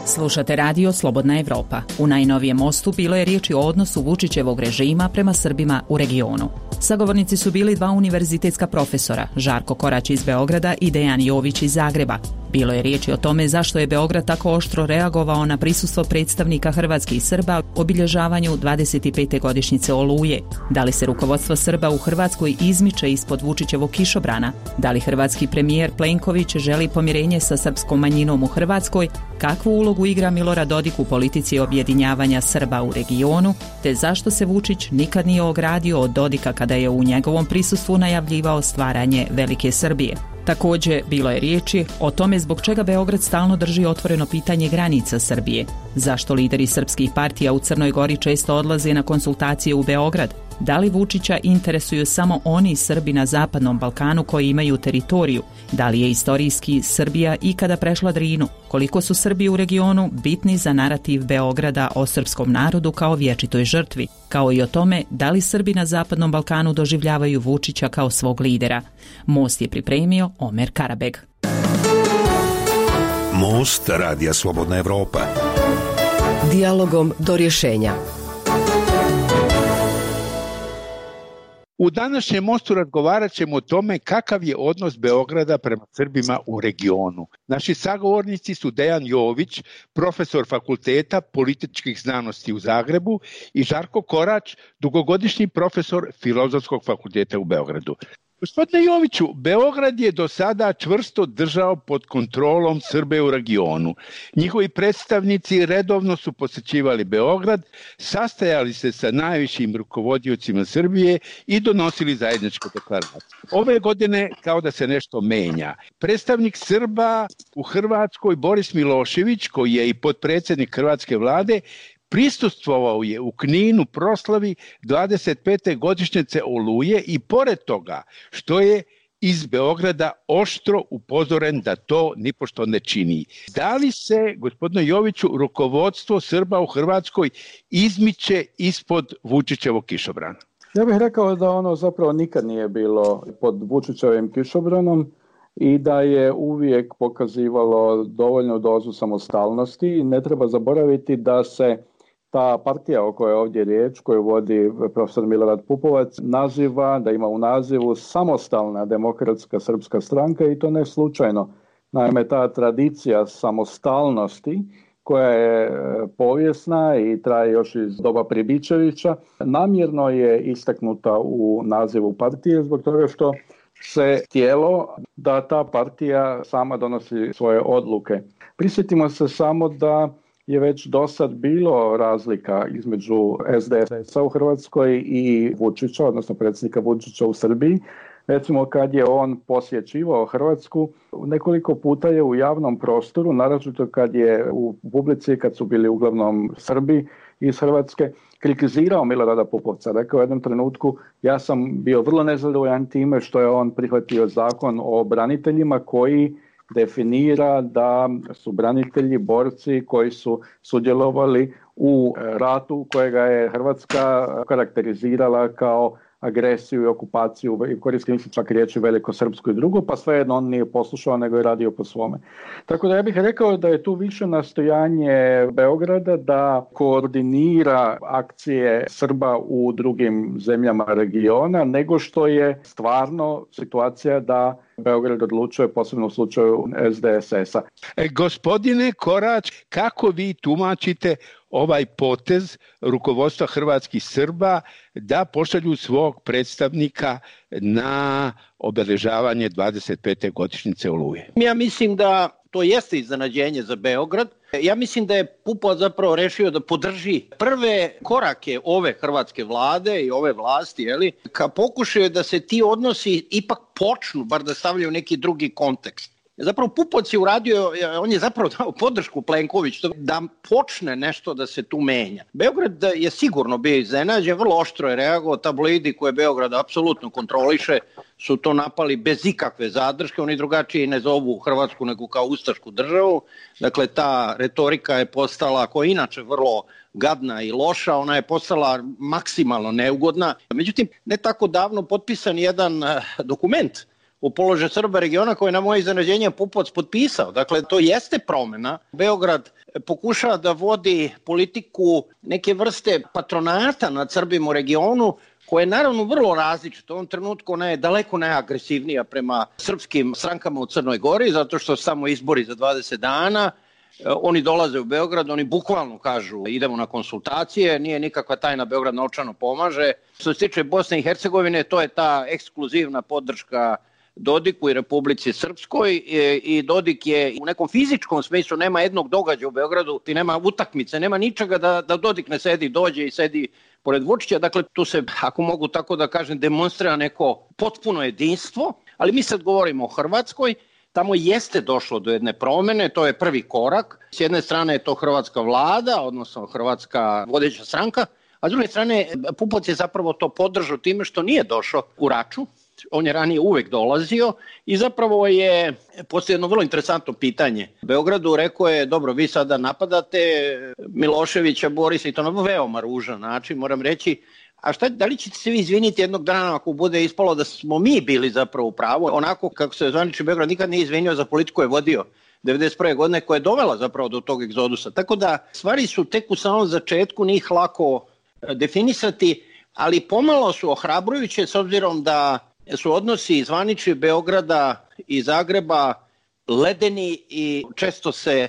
Slušate radio Slobodna Evropa. U najnovijem mostu bilo je riječi o odnosu Vučićevog režima prema Srbima u regionu. Sagovornici su bili dva univerzitetska profesora, Žarko Korać iz Beograda i Dejan Jović iz Zagreba. Bilo je riječi o tome zašto je Beograd tako oštro reagovao na prisustvo predstavnika hrvatskih Srba u obilježavanju dvadeset pete godišnjice Oluje. Da li se rukovodstvo Srba u Hrvatskoj izmiče ispod Vučićevog kišobrana? Da li hrvatski premijer Plenković želi pomirenje sa srpskom manjinom u Hrvatskoj? Kakvu ulogu igra Milorad Dodik u politici objedinjavanja Srba u regionu? Te zašto se Vučić nikad nije ogradio od Dodika kada je u njegovom prisustvu najavljivao stvaranje Velike Srbije? Također, bilo je riječi o tome zbog čega Beograd stalno drži otvoreno pitanje granica Srbije. Zašto lideri srpskih partija u Crnoj Gori često odlaze na konsultacije u Beograd? Da li Vučića interesuju samo oni Srbi na Zapadnom Balkanu koji imaju teritoriju? Da li je istorijski Srbija ikada prešla Drinu? Koliko su Srbi u regionu bitni za narativ Beograda o srpskom narodu kao vječitoj žrtvi? Kao i o tome da li Srbi na Zapadnom Balkanu doživljavaju Vučića kao svog lidera? Most je pripremio Omer Karabeg. Most Radija Slobodna Evropa. Dijalogom do rješenja. U današnjem mostu razgovarat ćemo o tome kakav je odnos Beograda prema Srbima u regionu. Naši sagovornici su Dejan Jović, profesor Fakulteta političkih znanosti u Zagrebu, i Žarko Korać, dugogodišnji profesor Filozofskog fakulteta u Beogradu. Gospodine Joviću, Beograd je do sada čvrsto držao pod kontrolom Srbe u regionu. Njihovi predstavnici redovno su posjećivali Beograd, sastajali se sa najvišim rukovodiocima Srbije i donosili zajedničku deklaraciju. Ove godine kao da se nešto menja. Predstavnik Srba u Hrvatskoj Boris Milošević, koji je i potpredsjednik hrvatske vlade, prisustvovao je u Kninu proslavi dvadeset pete godišnjice Oluje i pored toga što je iz Beograda oštro upozoren da to nipošto ne čini. Da li se, gospodine Joviću, rukovodstvo Srba u Hrvatskoj izmiče ispod Vučićevog kišobrana? Ja bih rekao da ono zapravo nikad nije bilo pod Vučićevim kišobranom i da je uvijek pokazivalo dovoljnu dozu samostalnosti. Ne treba zaboraviti da se ta partija o kojoj je ovdje riječ, koju vodi profesor Milorad Pupovac, naziva, da ima u nazivu Samostalna demokratska srpska stranka, i to ne slučajno. Naime, ta tradicija samostalnosti, koja je povijesna i traje još iz doba Pribičevića, namjerno je istaknuta u nazivu partije zbog toga što se htjelo da ta partija sama donosi svoje odluke. Prisjetimo se samo da je već do sad bilo razlika između es de es a u Hrvatskoj i Vučića, odnosno predsjednika Vučića u Srbiji. Recimo, kad je on posjećivao Hrvatsku, nekoliko puta je u javnom prostoru, naročito kad je u publici, kad su bili uglavnom Srbi iz Hrvatske, kritizirao Milorada Pupovca. Rekao u jednom trenutku, ja sam bio vrlo nezadovoljan time što je on prihvatio zakon o braniteljima koji definira da su branitelji borci koji su sudjelovali u ratu kojega je Hrvatska karakterizirala kao agresiju i okupaciju, i koristim se čak riječi velikosrpsku i drugo, pa svejedno on nije poslušao nego je radio po svome. Tako da ja bih rekao da je tu više nastojanje Beograda da koordinira akcije Srba u drugim zemljama regiona, nego što je stvarno situacija da Beograd odlučuje, posebno u slučaju es de es a. E, gospodine Korać, kako vi tumačite ovaj potez rukovodstva hrvatskih Srba da pošalju svog predstavnika na obeležavanje dvadeset pete godišnjice Oluje? Ja mislim da to jeste iznenađenje za Beograd. Ja mislim da je Pupovac zapravo rešio da podrži prve korake ove hrvatske vlade i ove vlasti, jeli, ka pokušaju da se ti odnosi ipak počnu, bar da stavljaju neki drugi kontekst. Zapravo Pupovac je uradio, on je zapravo dao podršku Plenkoviću da počne nešto da se tu menja. Beograd je sigurno bio iznenađen, vrlo oštro je reagovao, tabloidi koje Beograd apsolutno kontroliše su to napali bez ikakve zadrške, oni drugačije ne zovu Hrvatsku nego kao ustašku državu, dakle ta retorika je postala, koja je inače vrlo gadna i loša, ona je postala maksimalno neugodna. Međutim, ne tako davno potpisan jedan dokument u položaju Srba regiona koje je na moje iznenađenje Pupovac potpisao. Dakle, to jeste promjena. Beograd pokušava da vodi politiku neke vrste patronata nad Srbima u regionu, koja je naravno vrlo različita. U ovom trenutku ona je daleko najagresivnija prema srpskim strankama u Crnoj Gori, zato što samo izbori za dvadeset dana. Oni dolaze u Beograd, oni bukvalno kažu idemo na konsultacije, nije nikakva tajna, Beograd novčano pomaže. Što se tiče Bosne i Hercegovine, to je ta ekskluzivna podrška Dodiku i Republici Srpskoj i Dodik je u nekom fizičkom smislu, nema jednog događaja u Beogradu, ti nema utakmice, nema ničega da, da Dodik ne sedi, dođe i sedi pored Vučića. Dakle, tu se, ako mogu tako da kažem, demonstrira neko potpuno jedinstvo, ali mi sad govorimo o Hrvatskoj. Tamo jeste došlo do jedne promjene, to je prvi korak. S jedne strane je to hrvatska vlada, odnosno hrvatska vodeća stranka, a s druge strane Pupovac je zapravo to podržao time što nije došao u Raču. On je ranije uvek dolazio i zapravo je postoji jedno vrlo interesantno pitanje. Beogradu rekao je, dobro, vi sada napadate Miloševića, Borisa i to na veoma ružan način, moram reći. A šta, da li ćete se vi izviniti jednog dana ako bude ispalo da smo mi bili zapravo u pravu? Onako kako se zvanični Beograd nikad nije izvinio za politiku je vodio devedeset prve godine koja je dovela zapravo do tog egzodusa. Tako da stvari su tek u samom začetku, njih lako definisati, ali pomalo su ohrabrujuće s obzirom da su odnosi zvanični Beograda i Zagreba ledeni i često se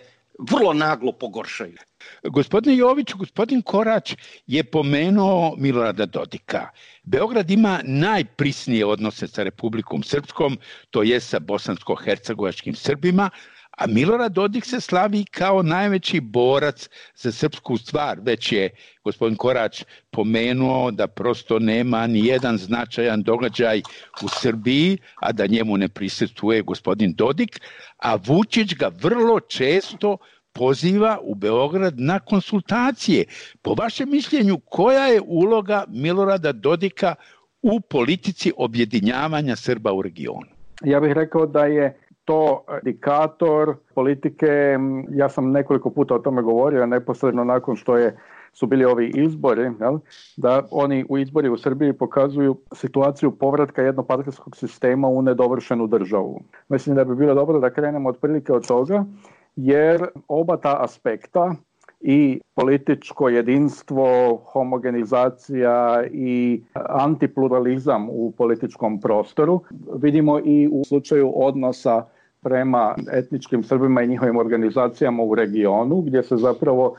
vrlo naglo pogoršaju. Gospodine Jović, gospodin Korać je pomenuo Milorada Dodika. Beograd ima najprisnije odnose sa Republikom Srpskom, to je sa bosansko-hercegovačkim Srbima, a Milorad Dodik se slavi kao najveći borac za srpsku stvar. Već je gospodin Korać pomenuo da prosto nema ni jedan značajan događaj u Srbiji, a da njemu ne prisustvuje gospodin Dodik, a Vučić ga vrlo često poziva u Beograd na konsultacije. Po vašem mišljenju, koja je uloga Milorada Dodika u politici objedinjavanja Srba u regionu? Ja bih rekao da je to indikator politike, ja sam nekoliko puta o tome govorio, neposredno nakon što je, su bili ovi izbori, jel, da oni u izbori u Srbiji pokazuju situaciju povratka jednopartijskog sistema u nedovršenu državu. Mislim da bi bilo dobro da krenemo otprilike od toga, jer oba ta aspekta, i političko jedinstvo, homogenizacija i antipluralizam u političkom prostoru, vidimo i u slučaju odnosa prema etničkim Srbima i njihovim organizacijama u regionu, gdje se zapravo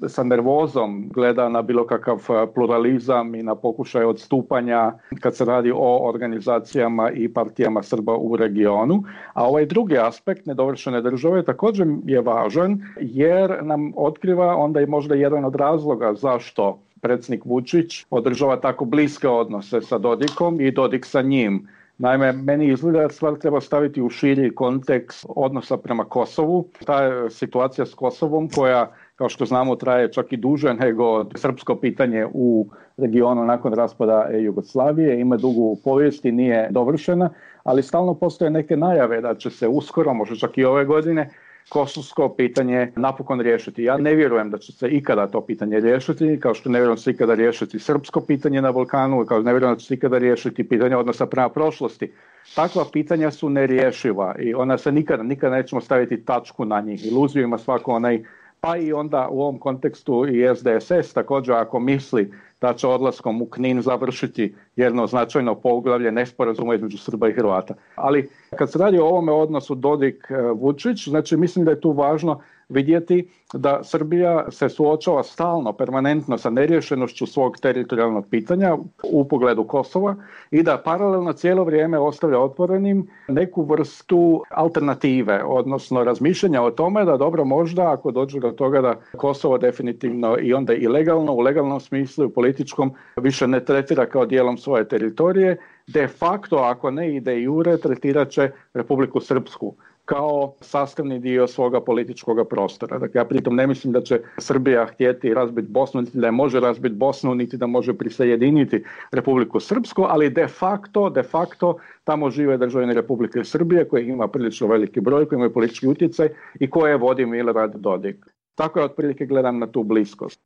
sa nervozom gleda na bilo kakav pluralizam i na pokušaj odstupanja kad se radi o organizacijama i partijama Srba u regionu. A ovaj drugi aspekt nedovršene države također je važan jer nam otkriva onda i možda jedan od razloga zašto predsjednik Vučić održava tako bliske odnose sa Dodikom i Dodik sa njim. Naime, meni izgleda da stvar treba staviti u širi kontekst odnosa prema Kosovu. Ta situacija s Kosovom koja, kao što znamo, traje čak i duže nego srpsko pitanje u regionu nakon raspada Jugoslavije, ima dugu povijest i nije dovršena, ali stalno postoje neke najave da će se uskoro, možda čak i ove godine, kosovsko pitanje napokon riješiti. Ja ne vjerujem da će se ikada to pitanje riješiti, kao što ne vjerujem da će se ikada riješiti srpsko pitanje na Balkanu, kao što ne vjerujem da će se ikada riješiti pitanje odnosa prema prošlosti. Takva pitanja su nerješiva i ona se nikada, nikada nećemo staviti tačku na njih. Iluziju ima svako onaj, pa i onda u ovom kontekstu i S D S S također ako misli da će odlaskom u Knin završiti jedno značajno poglavlje nesporazuma između Srba i Hrvata. Ali kad se radi o ovome odnosu Dodik-Vučić, znači mislim da je tu važno vidjeti da Srbija se suočava stalno, permanentno sa neriješenošću svog teritorijalnog pitanja u pogledu Kosova i da paralelno cijelo vrijeme ostavlja otvorenim neku vrstu alternative, odnosno razmišljanja o tome da dobro možda ako dođe do toga da Kosovo definitivno i onda i legalno, u legalnom smislu i u političkom više ne tretira kao dijelom svoje teritorije, de facto, ako ne i de jure, tretirat će Republiku Srpsku. kao sastavni dio svoga političkog prostora. Dakle, ja pritom ne mislim da će Srbija htjeti razbiti Bosnu, niti da je može razbiti Bosnu, niti da može prisajediniti Republiku Srpsku, ali de facto, de facto tamo žive državljani Republike Srbije koji ima prilično veliki broj, koji imaju politički utjecaj i koje vodi Milorad Dodik. Tako je otprilike gledam na tu bliskost.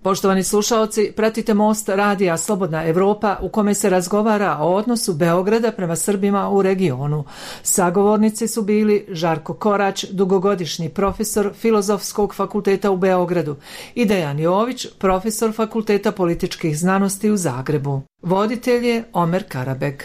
Poštovani slušaoci, pratite Most radija Slobodna Evropa u kome se razgovara o odnosu Beograda prema Srbima u regionu. Sagovornici su bili Žarko Korać, dugogodišnji profesor Filozofskog fakulteta u Beogradu, i Dejan Jović, profesor Fakulteta političkih znanosti u Zagrebu. Voditelj je Omer Karabeg.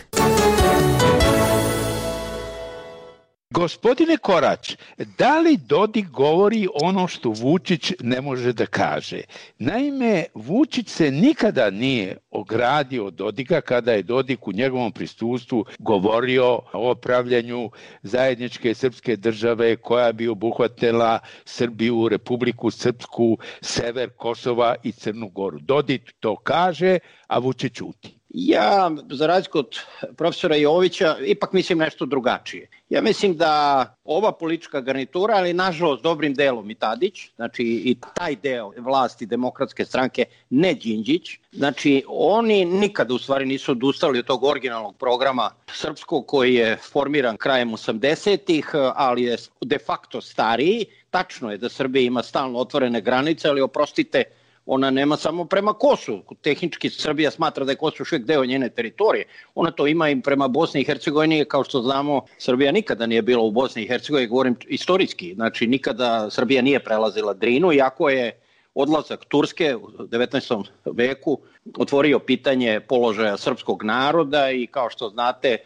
Gospodine Korać, da li Dodik govori ono što Vučić ne može da kaže? Naime, Vučić se nikada nije ogradio od Dodika kada je Dodik u njegovom prisustvu govorio o pravljanju zajedničke srpske države koja bi obuhvatila Srbiju, Republiku Srpsku, sever Kosova i Crnu Goru. Dodik to kaže, a Vučić ćuti. Ja, za razliku od profesora Jovića, ipak mislim nešto drugačije. Ja mislim da ova politička garnitura, ali nažalost dobrim delom i Tadić, znači i taj deo vlasti Demokratske stranke, ne Đinđić, znači oni nikada u stvari nisu odustali od tog originalnog programa srpskog koji je formiran krajem osamdesetih, ali je de facto stariji. Tačno je da Srbija ima stalno otvorene granice, ali oprostite, ona nema samo prema Kosovu. Tehnički Srbija smatra da je Kosovo još uvijek deo njene teritorije. Ona to ima i prema Bosni i Hercegovini. Kao što znamo, Srbija nikada nije bila u Bosni i Hercegovini, govorim istorijski. Znači, nikada Srbija nije prelazila Drinu, iako je odlazak Turske u devetnaestom veku otvorio pitanje položaja srpskog naroda i kao što znate,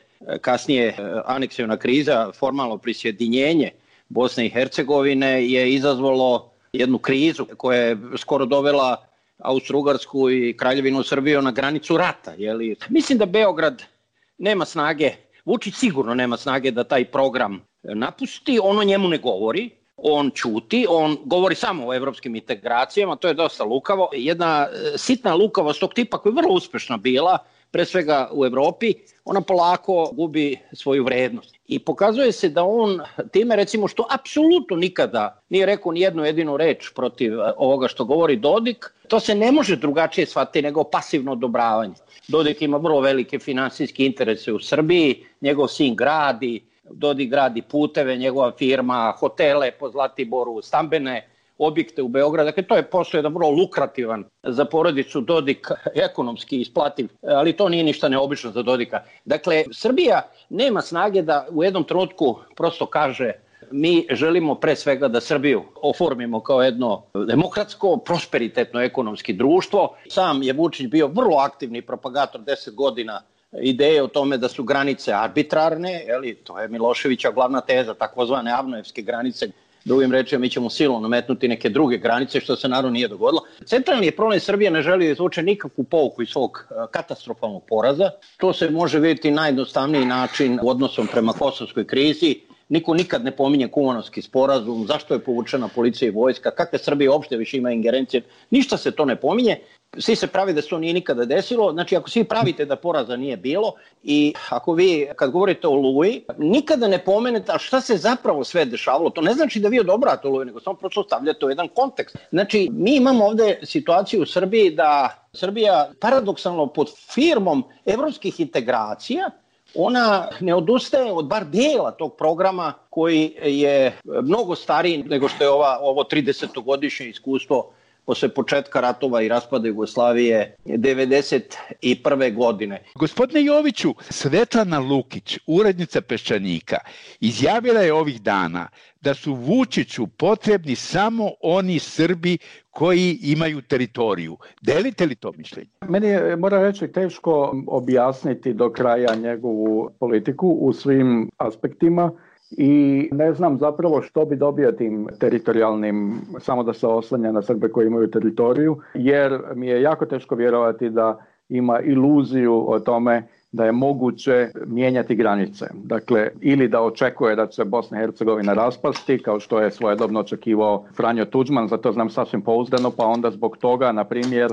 kasnije aneksiona kriza, formalno prisjedinjenje Bosne i Hercegovine je izazvalo jednu krizu koja je skoro dovela Austro-Ugarsku i Kraljevinu Srbiju na granicu rata. Jeli? Mislim da Beograd nema snage, Vučić sigurno nema snage da taj program napusti, on o njemu ne govori, on ćuti, on govori samo o evropskim integracijama, to je dosta lukavo. Jedna sitna lukavost tog tipa koja je vrlo uspešna bila, pre svega u Evropi, ona polako gubi svoju vrednost. I pokazuje se da on time, recimo, što apsolutno nikada nije rekao ni jednu jedinu reč protiv ovoga što govori Dodik, to se ne može drugačije shvatiti nego pasivno odobravanje. Dodik ima vrlo velike finansijske interese u Srbiji, njegov sin gradi, Dodik gradi puteve, njegova firma, hotele po Zlatiboru, stambene objekte u Beogradu. Dakle, to je posao jedan vrlo lukrativan za porodicu Dodik, ekonomski isplativ, ali to nije ništa neobično za Dodika. Dakle, Srbija nema snage da u jednom trenutku prosto kaže mi želimo pre svega da Srbiju oformimo kao jedno demokratsko, prosperitetno ekonomski društvo. Sam je Vučić bio vrlo aktivni propagator deset godina ideje o tome da su granice arbitrarne, jeli, to je Miloševića glavna teza, takozvane Avnojevske granice. Drugim rečima, mi ćemo silom nametnuti neke druge granice, što se naravno nije dogodilo. Centralni je problem, Srbija ne želi da izvuče nikakvu pouku iz svog katastrofalnog poraza. To se može vidjeti najjednostavniji način u odnosom prema kosovskoj krizi. Niko nikad ne pominje Kumanovski sporazum, zašto je povučena policija i vojska, kakve Srbije uopšte više ima ingerencije, ništa se to ne pominje. Svi se pravi da se to nije nikada desilo, znači ako svi pravite da poraza nije bilo i ako vi kad govorite o Oluji, nikada ne pomenete a šta se zapravo sve dešavalo, to ne znači da vi odobrate Oluju, nego samo prosto stavljate u jedan kontekst. Znači mi imamo ovde situaciju u Srbiji da Srbija paradoksalno pod firmom evropskih integracija ona ne odustaje od bar dijela tog programa koji je mnogo stariji nego što je ova, ovo tridesetogodišnje iskustvo posle početka ratova i raspada Jugoslavije devedeset prve godine. Gospodine Joviću, Svetlana Lukić, urednica Peščanika, izjavila je ovih dana da su Vučiću potrebni samo oni Srbi koji imaju teritoriju. Delite li to mišljenje? Meni je, moram reći, teško objasniti do kraja njegovu politiku u svim aspektima. I ne znam zapravo što bi dobio tim teritorijalnim, samo da se oslanja na Srbe koji imaju teritoriju, jer mi je jako teško vjerovati da ima iluziju o tome da je moguće mijenjati granice. Dakle, ili da očekuje da će Bosna i Hercegovina raspasti, kao što je svojedobno očekivao Franjo Tuđman, zato znam sasvim pouzdano, pa onda zbog toga, na primjer,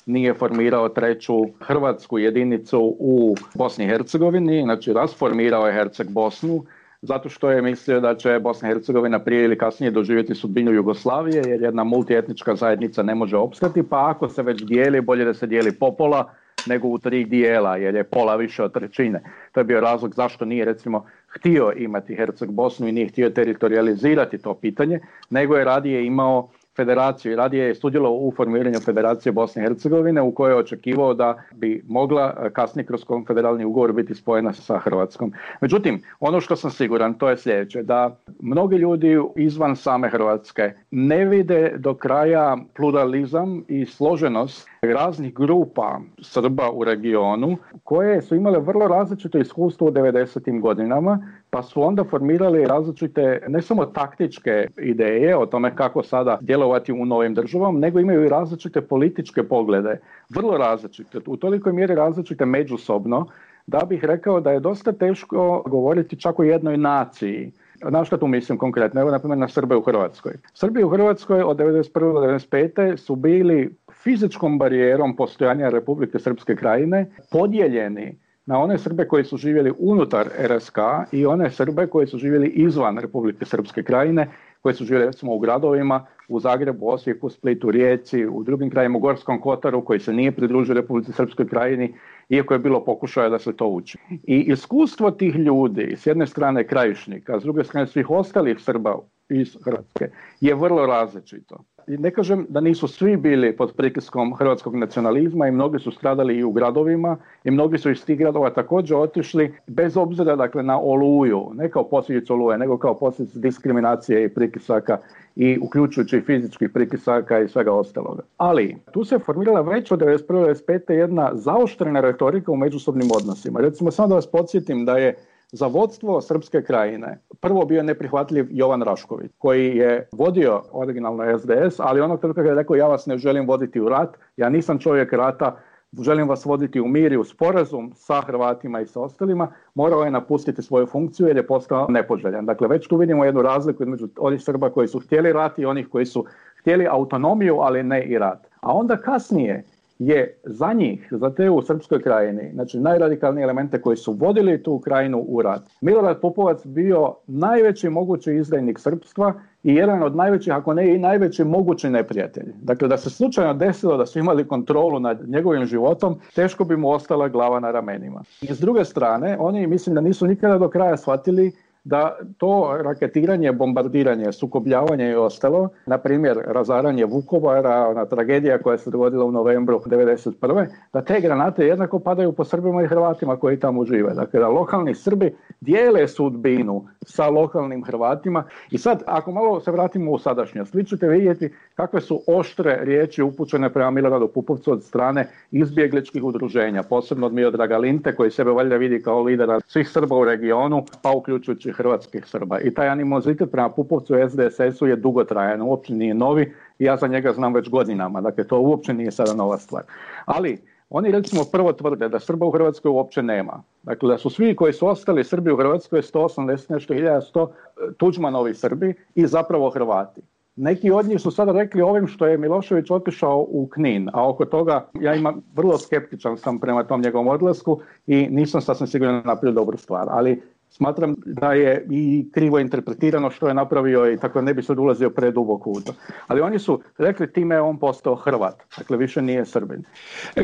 nije formirao treću hrvatsku jedinicu u Bosni i Hercegovini, znači rasformirao je Herceg Bosnu, zato što je mislio da će Bosna i Hercegovina prije ili kasnije doživjeti sudbinu Jugoslavije, jer jedna multietnička zajednica ne može opstati, pa ako se već dijeli, bolje da se dijeli popola nego u tri dijela, jer je pola više od trećine. To je bio razlog zašto nije, recimo, htio imati Herceg Bosnu i nije htio teritorializirati to pitanje, nego je radije imao federaciju i radije je sudjelovao u formiranju Federacije Bosne i Hercegovine, u kojoj je očekivao da bi mogla kasnije kroz konfederalni ugovor biti spojena sa Hrvatskom. Međutim, ono što sam siguran, to je sljedeće, da mnogi ljudi izvan same Hrvatske ne vide do kraja pluralizam i složenost raznih grupa Srba u regionu, koje su imale vrlo različito iskustvo u devedesetim godinama, pa su onda formirali različite, ne samo taktičke ideje o tome kako sada djelovati u novim državama, nego imaju i različite političke poglede, vrlo različite, u tolikoj mjeri različite međusobno, da bih rekao da je dosta teško govoriti čak o jednoj naciji. Na što tu mislim konkretno? Evo, na primjer, na Srbe u Hrvatskoj. Srbi u Hrvatskoj od devedeset prve do devedeset pete su bili fizičkom barijerom postojanja Republike Srpske Krajine podijeljeni na one Srbe koji su živjeli unutar R S K i one Srbe koji su živjeli izvan Republike Srpske Krajine, koji su živjeli recimo u gradovima, u Zagrebu, Osijeku, Splitu, Rijeci, u drugim krajima, u Gorskom Kotaru, koji se nije pridružio Republici Srpskoj Krajini, iako je bilo pokušaja da se to uči. I iskustvo tih ljudi, s jedne strane krajišnika, a s druge strane svih ostalih Srba iz Hrvatske, je vrlo različito. I ne kažem da nisu svi bili pod pritiskom hrvatskog nacionalizma i mnogi su stradali i u gradovima i mnogi su iz tih gradova također otišli bez obzira, dakle, na Oluju, ne kao posljedicu Oluje, nego kao posljedicu diskriminacije i pritisaka i uključujući i fizičkih pritisaka i svega ostaloga. Ali tu se formirala već od devedeset prve do devedeset pete jedna zaoštrena retorika u međusobnim odnosima. Recimo, samo da vas podsjetim da je za vodstvo Srpske Krajine prvo bio neprihvatljiv Jovan Rašković, koji je vodio originalno S D S, ali onog trenutka kada je rekao ja vas ne želim voditi u rat, ja nisam čovjek rata, želim vas voditi u mir i u sporazum sa Hrvatima i sa ostalima, morao je napustiti svoju funkciju jer je postao nepoželjan. Dakle, već tu vidimo jednu razliku između onih Srba koji su htjeli rat i onih koji su htjeli autonomiju, ali ne i rat. A onda kasnije je za njih, za te u Srpskoj Krajini, znači najradikalnije elemente koji su vodili tu krajinu u rat, Milorad Pupovac bio najveći mogući izdajnik srpstva i jedan od najvećih, ako ne i najveći mogući neprijatelj. Dakle, da se slučajno desilo da su imali kontrolu nad njegovim životom, teško bi mu ostala glava na ramenima. I s druge strane, oni mislim da nisu nikada do kraja shvatili da to raketiranje, bombardiranje, sukobljavanje i ostalo, na primjer razaranje Vukovara, ona tragedija koja se dogodila u novembru devedeset prve, da te granate jednako padaju po Srbima i Hrvatima koji tamo žive. Dakle, da lokalni Srbi dijele sudbinu sa lokalnim Hrvatima. I sad, ako malo se vratimo u sadašnjost, vi ćete vidjeti kakve su oštre riječi upućene prema Miloradu Pupovcu od strane izbjegličkih udruženja, posebno od Miodraga Linte, koji sebe valjda vidi kao lidera svih Srba u regionu, pa uključujući hrvatskih Srba. I taj animozitet prema Pupovcu i S D S S-u je dugotrajan, uopće nije novi i ja za njega znam već godinama. Dakle, to uopće nije sada nova stvar. Ali oni recimo prvo tvrde da Srba u Hrvatskoj uopće nema. Dakle, da su svi koji su ostali Srbi u Hrvatskoj sto osamdeset nešto hiljada sto Tuđmanovi Srbi i zapravo Hrvati. Neki od njih su sada rekli ovim što je Milošević otišao u Knin, a oko toga ja imam vrlo skeptičan sam prema tom njegovom odlasku i nisam sasvim sigurno napravio dobru stvar, ali smatram da je i krivo interpretirano što je napravio i tako ne bi sad ulazio preduboko u to. Ali oni su rekli time je on postao Hrvat, dakle više nije Srbin.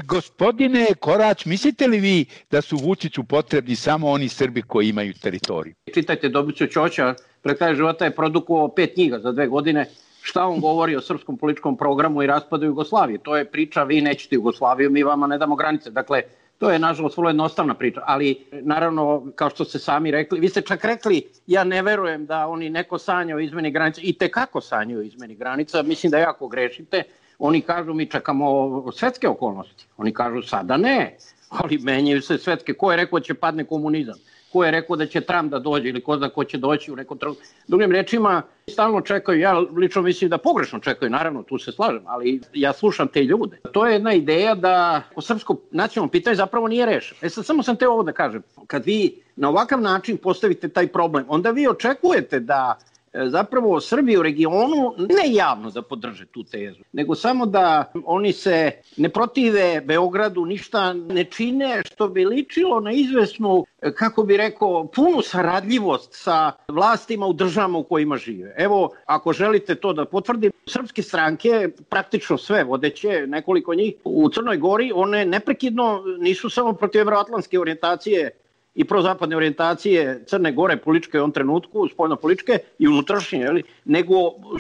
Gospodine Korać, mislite li vi da su Vučiću potrebni samo oni Srbi koji imaju teritoriju? Čitajte Dobricu Ćoća, pred kraj života je produkovao pet knjiga za dve godine. Šta on govori o srpskom političkom programu i raspadu Jugoslavije? To je priča, vi nećete Jugoslaviju, mi vama ne damo granice. Dakle, to je nažalost vrlo jednostavna priča, ali naravno, kao što ste sami rekli, vi ste čak rekli, ja ne verujem da oni neko sanja o izmeni granica, i tekako sanjaju o izmeni granica, mislim da jako grešite. Oni kažu mi čekamo svetske okolnosti, oni kažu sada ne, ali menjaju se svetske. Ko je rekao da će padne komunizam? Ko je rekao da će Trump da dođe ili ko zna ko će doći u nekom trenutku? Drugim rečima, stalno čekaju, ja lično mislim da pogrešno čekaju, naravno, tu se slažem, ali ja slušam te ljude. To je jedna ideja da o srpsko nacionalno pitanje zapravo nije rešeno. E sad, samo sam te ovo da kažem, kad vi na ovakav način postavite taj problem, onda vi očekujete da zapravo Srbi u regionu ne javno da podrže tu tezu, nego samo da oni se ne protive Beogradu, ništa ne čine što bi ličilo na izvesnu, kako bi rekao, punu saradljivost sa vlastima u državama u kojima žive. Evo, ako želite to da potvrdim, srpske stranke, praktično sve vodeće, nekoliko njih u Crnoj Gori, one neprekidno nisu samo protiv evroatlantske orijentacije i prozapadne orijentacije Crne Gore političke u ovom trenutku, spoljno-političke i unutrašnje, nego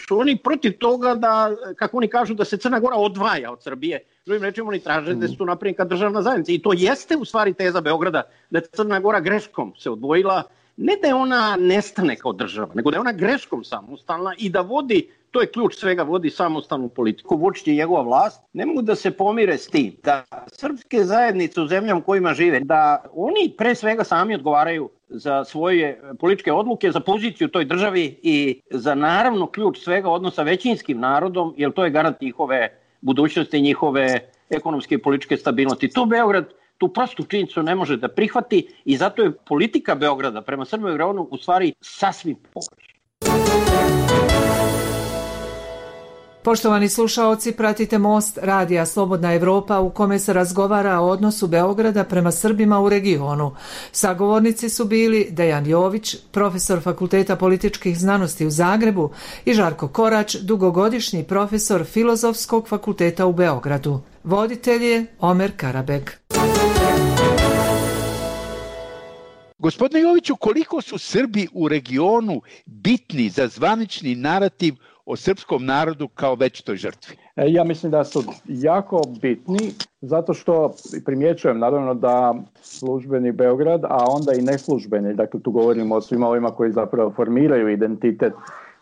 su oni protiv toga da, kako oni kažu, da se Crna Gora odvaja od Srbije. Drugim rečima, oni traže da se tu napravi kao državna zajednica. I to jeste u stvari teza Beograda, da je Crna Gora greškom se odvojila, ne da je ona nestane kao država, nego da je ona greškom samostalna i da vodi, to je ključ svega, vodi samostalnu politiku. Vučić i njegova vlast ne mogu da se pomire s tim da srpske zajednice u zemljama u kojima žive, da oni pre svega sami odgovaraju za svoje političke odluke, za poziciju u toj državi i za naravno ključ svega odnosa većinskim narodom, jer to je garant njihove budućnosti, njihove ekonomske i političke stabilnosti. To Beograd tu prostu činjenicu ne može da prihvati i zato je politika Beograda prema Srbima i regionu u stvari sasvim pogrešna. Poštovani slušaoci, pratite Most radija Slobodna Evropa u kome se razgovara o odnosu Beograda prema Srbima u regionu. Sagovornici su bili Dejan Jović, profesor Fakulteta političkih znanosti u Zagrebu i Žarko Korać, dugogodišnji profesor Filozofskog fakulteta u Beogradu. Voditelj je Omer Karabeg. Gospodine Joviću, koliko su Srbi u regionu bitni za zvanični narativ o srpskom narodu kao večitoj žrtvi? Ja mislim da su jako bitni, zato što primjećujem naravno da službeni Beograd, a onda i neslužbeni, dakle tu govorimo o svima ovima koji zapravo formiraju identitet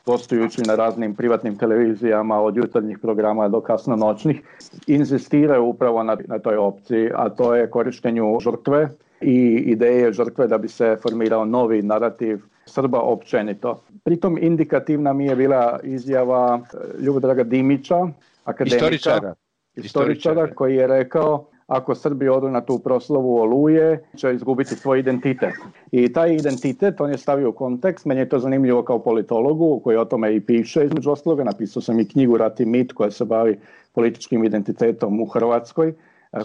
gostujući na raznim privatnim televizijama od jutarnjih programa do kasno noćnih, inzistiraju upravo na, na toj opciji, a to je korištenju žrtve i ideje žrtve da bi se formirao novi narativ Srba općenito. Pritom indikativna mi je bila izjava Ljubodraga Dimića, akademika, istoričara, istoričara koji je rekao: ako Srbi odu na tu proslavu Oluje, će izgubiti svoj identitet. I taj identitet on je stavio u kontekst. Meni je to zanimljivo kao politologu koji o tome i piše, između ostaloga. Napisao sam i knjigu Rat i mit koja se bavi političkim identitetom u Hrvatskoj,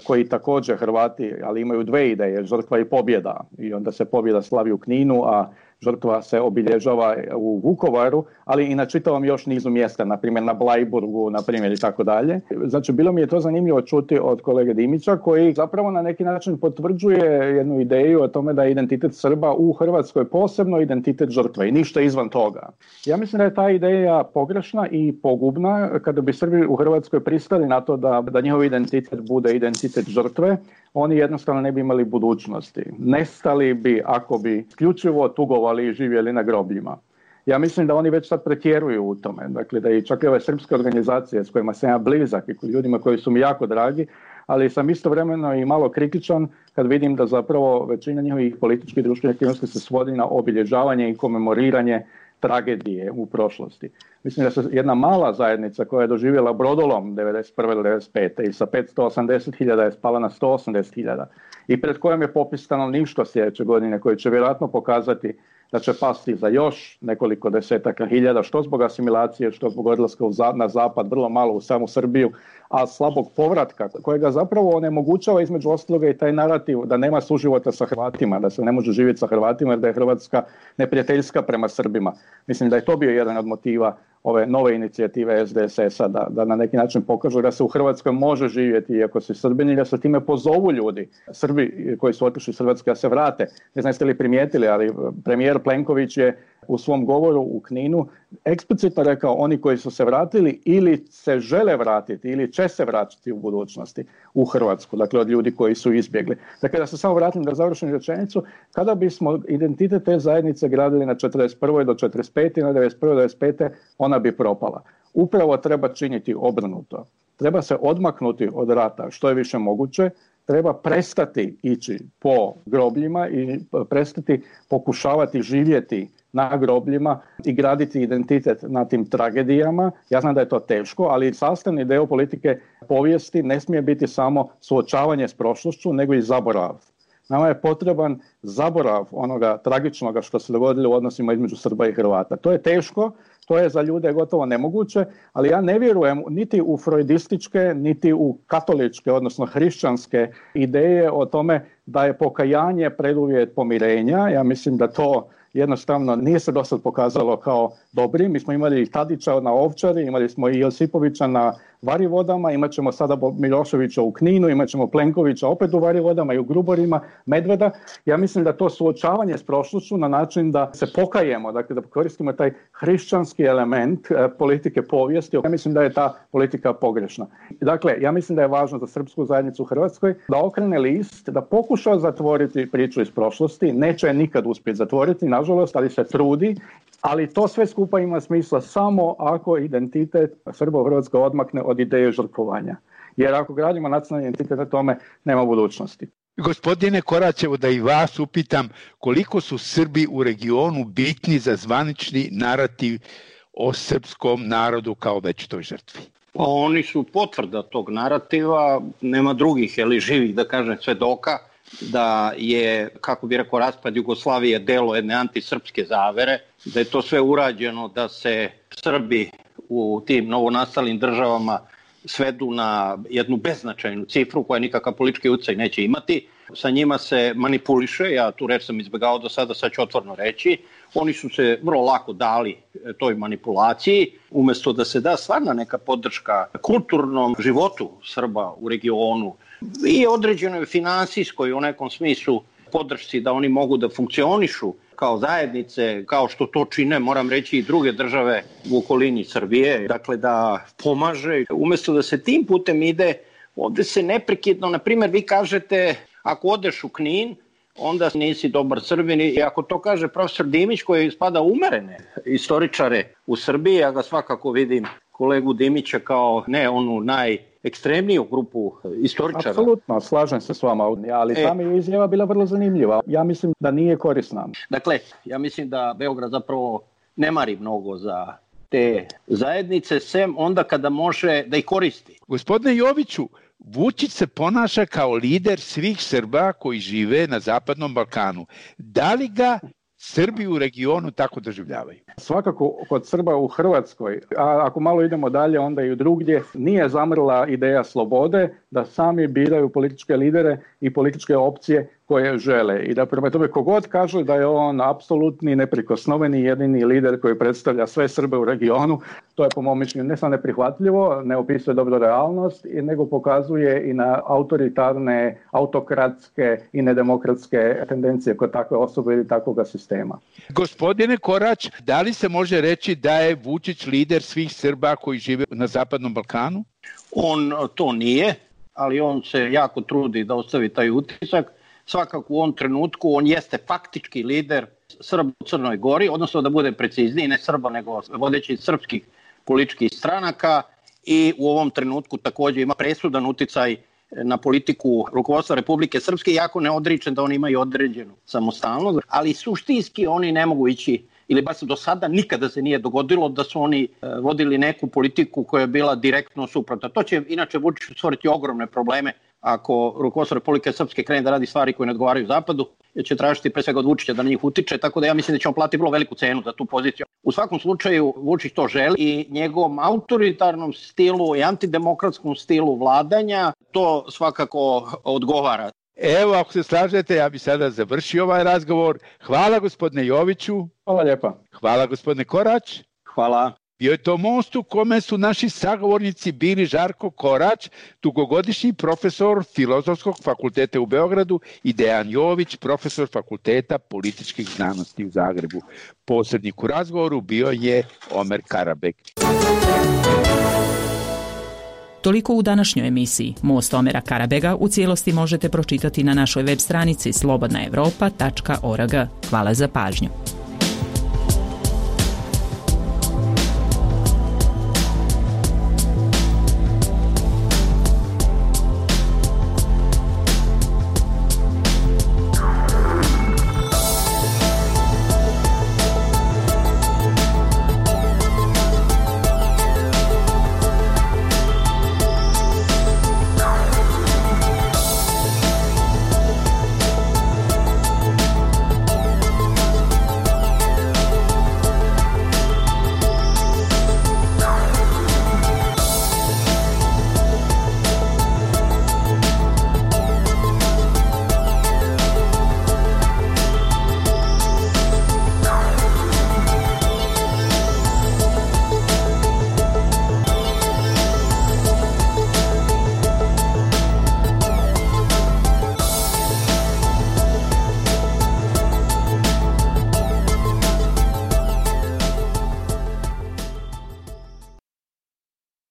koji također Hrvati, ali imaju dve ideje, žrtva i pobjeda. I onda se pobjeda slavi u Kninu, a žrtva se obilježava u Vukovaru, ali i na čitavom još nizu mjesta, na primjer na Blajburgu, na primjer i tako dalje. Znači, bilo mi je to zanimljivo čuti od kolege Dimića, koji zapravo na neki način potvrđuje jednu ideju o tome da je identitet Srba u Hrvatskoj posebno identitet žrtve i ništa izvan toga. Ja mislim da je ta ideja pogrešna i pogubna. Kada bi Srbi u Hrvatskoj pristali na to da, da njihov identitet bude identitet žrtve, oni jednostavno ne bi imali budućnosti. Nestali bi ako bi isključivo tugovali i živjeli na grobljima. Ja mislim da oni već sad pretjeruju u tome. Dakle, da i čak i ove srpske organizacije s kojima sam ja blizak i ljudima koji su mi jako dragi, ali sam istovremeno i malo kritičan kad vidim da zapravo većina njihovih političkih i društvenih aktivnosti se svodi na obilježavanje i komemoriranje tragedije u prošlosti. Mislim da se jedna mala zajednica koja je doživjela brodolom devedeset prve do devedeset pete i sa petsto osamdeset hiljada je spala na sto osamdeset hiljada i pred kojom je popis stanovništva sljedeće godine koji će vjerojatno pokazati da će pasti za još nekoliko desetaka hiljada, što zbog asimilacije, što zbog odlaska na zapad, vrlo malo u samu Srbiju, a slabog povratka kojega zapravo onemogućava između ostaloga i taj narativ da nema suživota sa Hrvatima, da se ne može živjeti sa Hrvatima jer da je Hrvatska neprijateljska prema Srbima. Mislim da je to bio jedan od motiva ove nove inicijative S D S S-a, da, da na neki način pokažu da se u Hrvatskoj može živjeti iako se Srbini, da se time pozovu ljudi, Srbi koji su otišli iz Hrvatske da se vrate. Ne znam jeste li primijetili, ali premijer Plenković je u svom govoru u Kninu eksplicitno rekao oni koji su se vratili ili se žele vratiti ili će se vratiti u budućnosti u Hrvatsku, dakle od ljudi koji su izbjegli. Dakle, da se samo vratim da završim rečenicu, kada bismo identitet te zajednice gradili na četrdeset prve do četrdeset pete i na devedeset prve do devedeset pete ona bi propala. Upravo treba činiti obrnuto. Treba se odmaknuti od rata što je više moguće, treba prestati ići po grobljima i prestati pokušavati živjeti na grobljima i graditi identitet na tim tragedijama. Ja znam da je to teško, ali sastavni dio politike povijesti ne smije biti samo suočavanje s prošlošću, nego i zaborav. Nama je potreban zaborav onoga tragičnoga što se dogodilo u odnosima između Srba i Hrvata. To je teško, to je za ljude gotovo nemoguće, ali ja ne vjerujem niti u freudističke, niti u katoličke, odnosno hrišćanske ideje o tome da je pokajanje preduvjet pomirenja. Ja mislim da to jednostavno nije se dosad pokazalo kao dobri. Mi smo imali i Tadića na Ovčari, imali smo i Josipovića na Varivodama, imat ćemo sada Miloševića u Kninu, imat ćemo Plenkovića opet u Varivodama i u Gruborima, Medveda. Ja mislim da to suočavanje s prošlošću na način da se pokajemo, dakle da koristimo taj hrišćanski element e, politike povijesti. Ja mislim da je ta politika pogrešna. Dakle, ja mislim da je važno za srpsku zajednicu u Hrvatskoj da okrene list, da pokuša zatvoriti priču iz prošlosti. Neće je nikad uspjeti zatvoriti, nažalost, ali se trudi. Ali to sve skupa ima smisla samo ako identitet Srba u Hrvatskoj odmakne od ideje žrtvovanja. Jer ako gradimo nacionalni identitet na tome, nema budućnosti. Gospodine Koraćevo, da i vas upitam koliko su Srbi u regionu bitni za zvanični narativ o srpskom narodu kao večitoj žrtvi? Pa oni su potvrda tog narativa, nema drugih, ili živih, da kažem, svedoka da je, kako bi rekao, raspad Jugoslavije delo jedne antisrpske zavere, da je to sve urađeno da se Srbi u tim novonastalim državama svedu na jednu beznačajnu cifru koja nikakav politički utjecaj neće imati. Sa njima se manipuliše, ja tu reč sam izbjegao do sada, sad ću otvoreno reći. Oni su se vrlo lako dali toj manipulaciji, umjesto da se da stvarna neka podrška kulturnom životu Srba u regionu i određenoj finansijskoj u nekom smislu podršci da oni mogu da funkcionišu kao zajednice, kao što to čine, moram reći, i druge države u okolini Srbije, dakle da pomaže. Umjesto da se tim putem ide, ovdje se neprekidno, na primjer, vi kažete, ako odeš u Knin, onda nisi dobar Srbin, i ako to kaže profesor Dimić, koji spada umerene istoričare u Srbiji, ja ga svakako vidim, kolegu Dimića, kao ne onu najekstremniju grupu istoričara. Apsolutno, slažem se s vama, ali e, tam je izjava bila vrlo zanimljiva. Ja mislim da nije korisna. Dakle, ja mislim da Beograd zapravo ne mari mnogo za te zajednice, sem onda kada može da ih koristi. Gospodine Joviću, Vučić se ponaša kao lider svih Srba koji žive na Zapadnom Balkanu. Da li ga Srbi u regionu tako doživljavaju? Svakako kod Srba u Hrvatskoj, a ako malo idemo dalje onda i u drugdje, nije zamrla ideja slobode da sami biraju političke lidere i političke opcije koje žele. I da prema tome kogod kaže da je on apsolutni, neprikosnoveni, jedini lider koji predstavlja sve Srbe u regionu, to je po mom mišljenju ne samo neprihvatljivo, ne opisuje dobro realnost, nego pokazuje i na autoritarne, autokratske i nedemokratske tendencije kod takve osobe ili takvog sistema. Gospodine Korać, da li se može reći da je Vučić lider svih Srba koji žive na Zapadnom Balkanu? On to nije, ali on se jako trudi da ostavi taj utisak. Svakako u ovom trenutku on jeste faktički lider Srba u Crnoj Gori, odnosno da bude precizniji, ne Srba nego vodeći srpskih političkih stranaka, i u ovom trenutku također ima presudan uticaj na politiku rukovodstva Republike Srpske, jako ne odričem da oni imaju određenu samostalnost, ali suštinski oni ne mogu ići, ili baš do sada nikada se nije dogodilo da su oni vodili neku politiku koja je bila direktno suprotna. To će inače Vučiću stvoriti ogromne probleme ako rukovodstvo Republike Srpske krene da radi stvari koje ne odgovaraju Zapadu, jer će tražiti pre svega od Vučića da na njih utiče, tako da ja mislim da će on platiti vrlo veliku cenu za tu poziciju. U svakom slučaju Vučić to želi i njegovom autoritarnom stilu i antidemokratskom stilu vladanja to svakako odgovara. Evo, ako se slažete, ja bi sada završio ovaj razgovor. Hvala gospodine Joviću. Hvala lijepa. Hvala gospodine Korać. Hvala. Bio je to most u kome su naši sagovornici bili Žarko Korać, dugogodišnji profesor Filozofskog fakulteta u Beogradu, i Dejan Jović, profesor Fakulteta političkih znanosti u Zagrebu. Posrednik u razgovoru bio je Omer Karabek. Toliko u današnjoj emisiji. Most Omera Karabega u cijelosti možete pročitati na našoj web stranici slobodna evropa tačka org. Hvala za pažnju.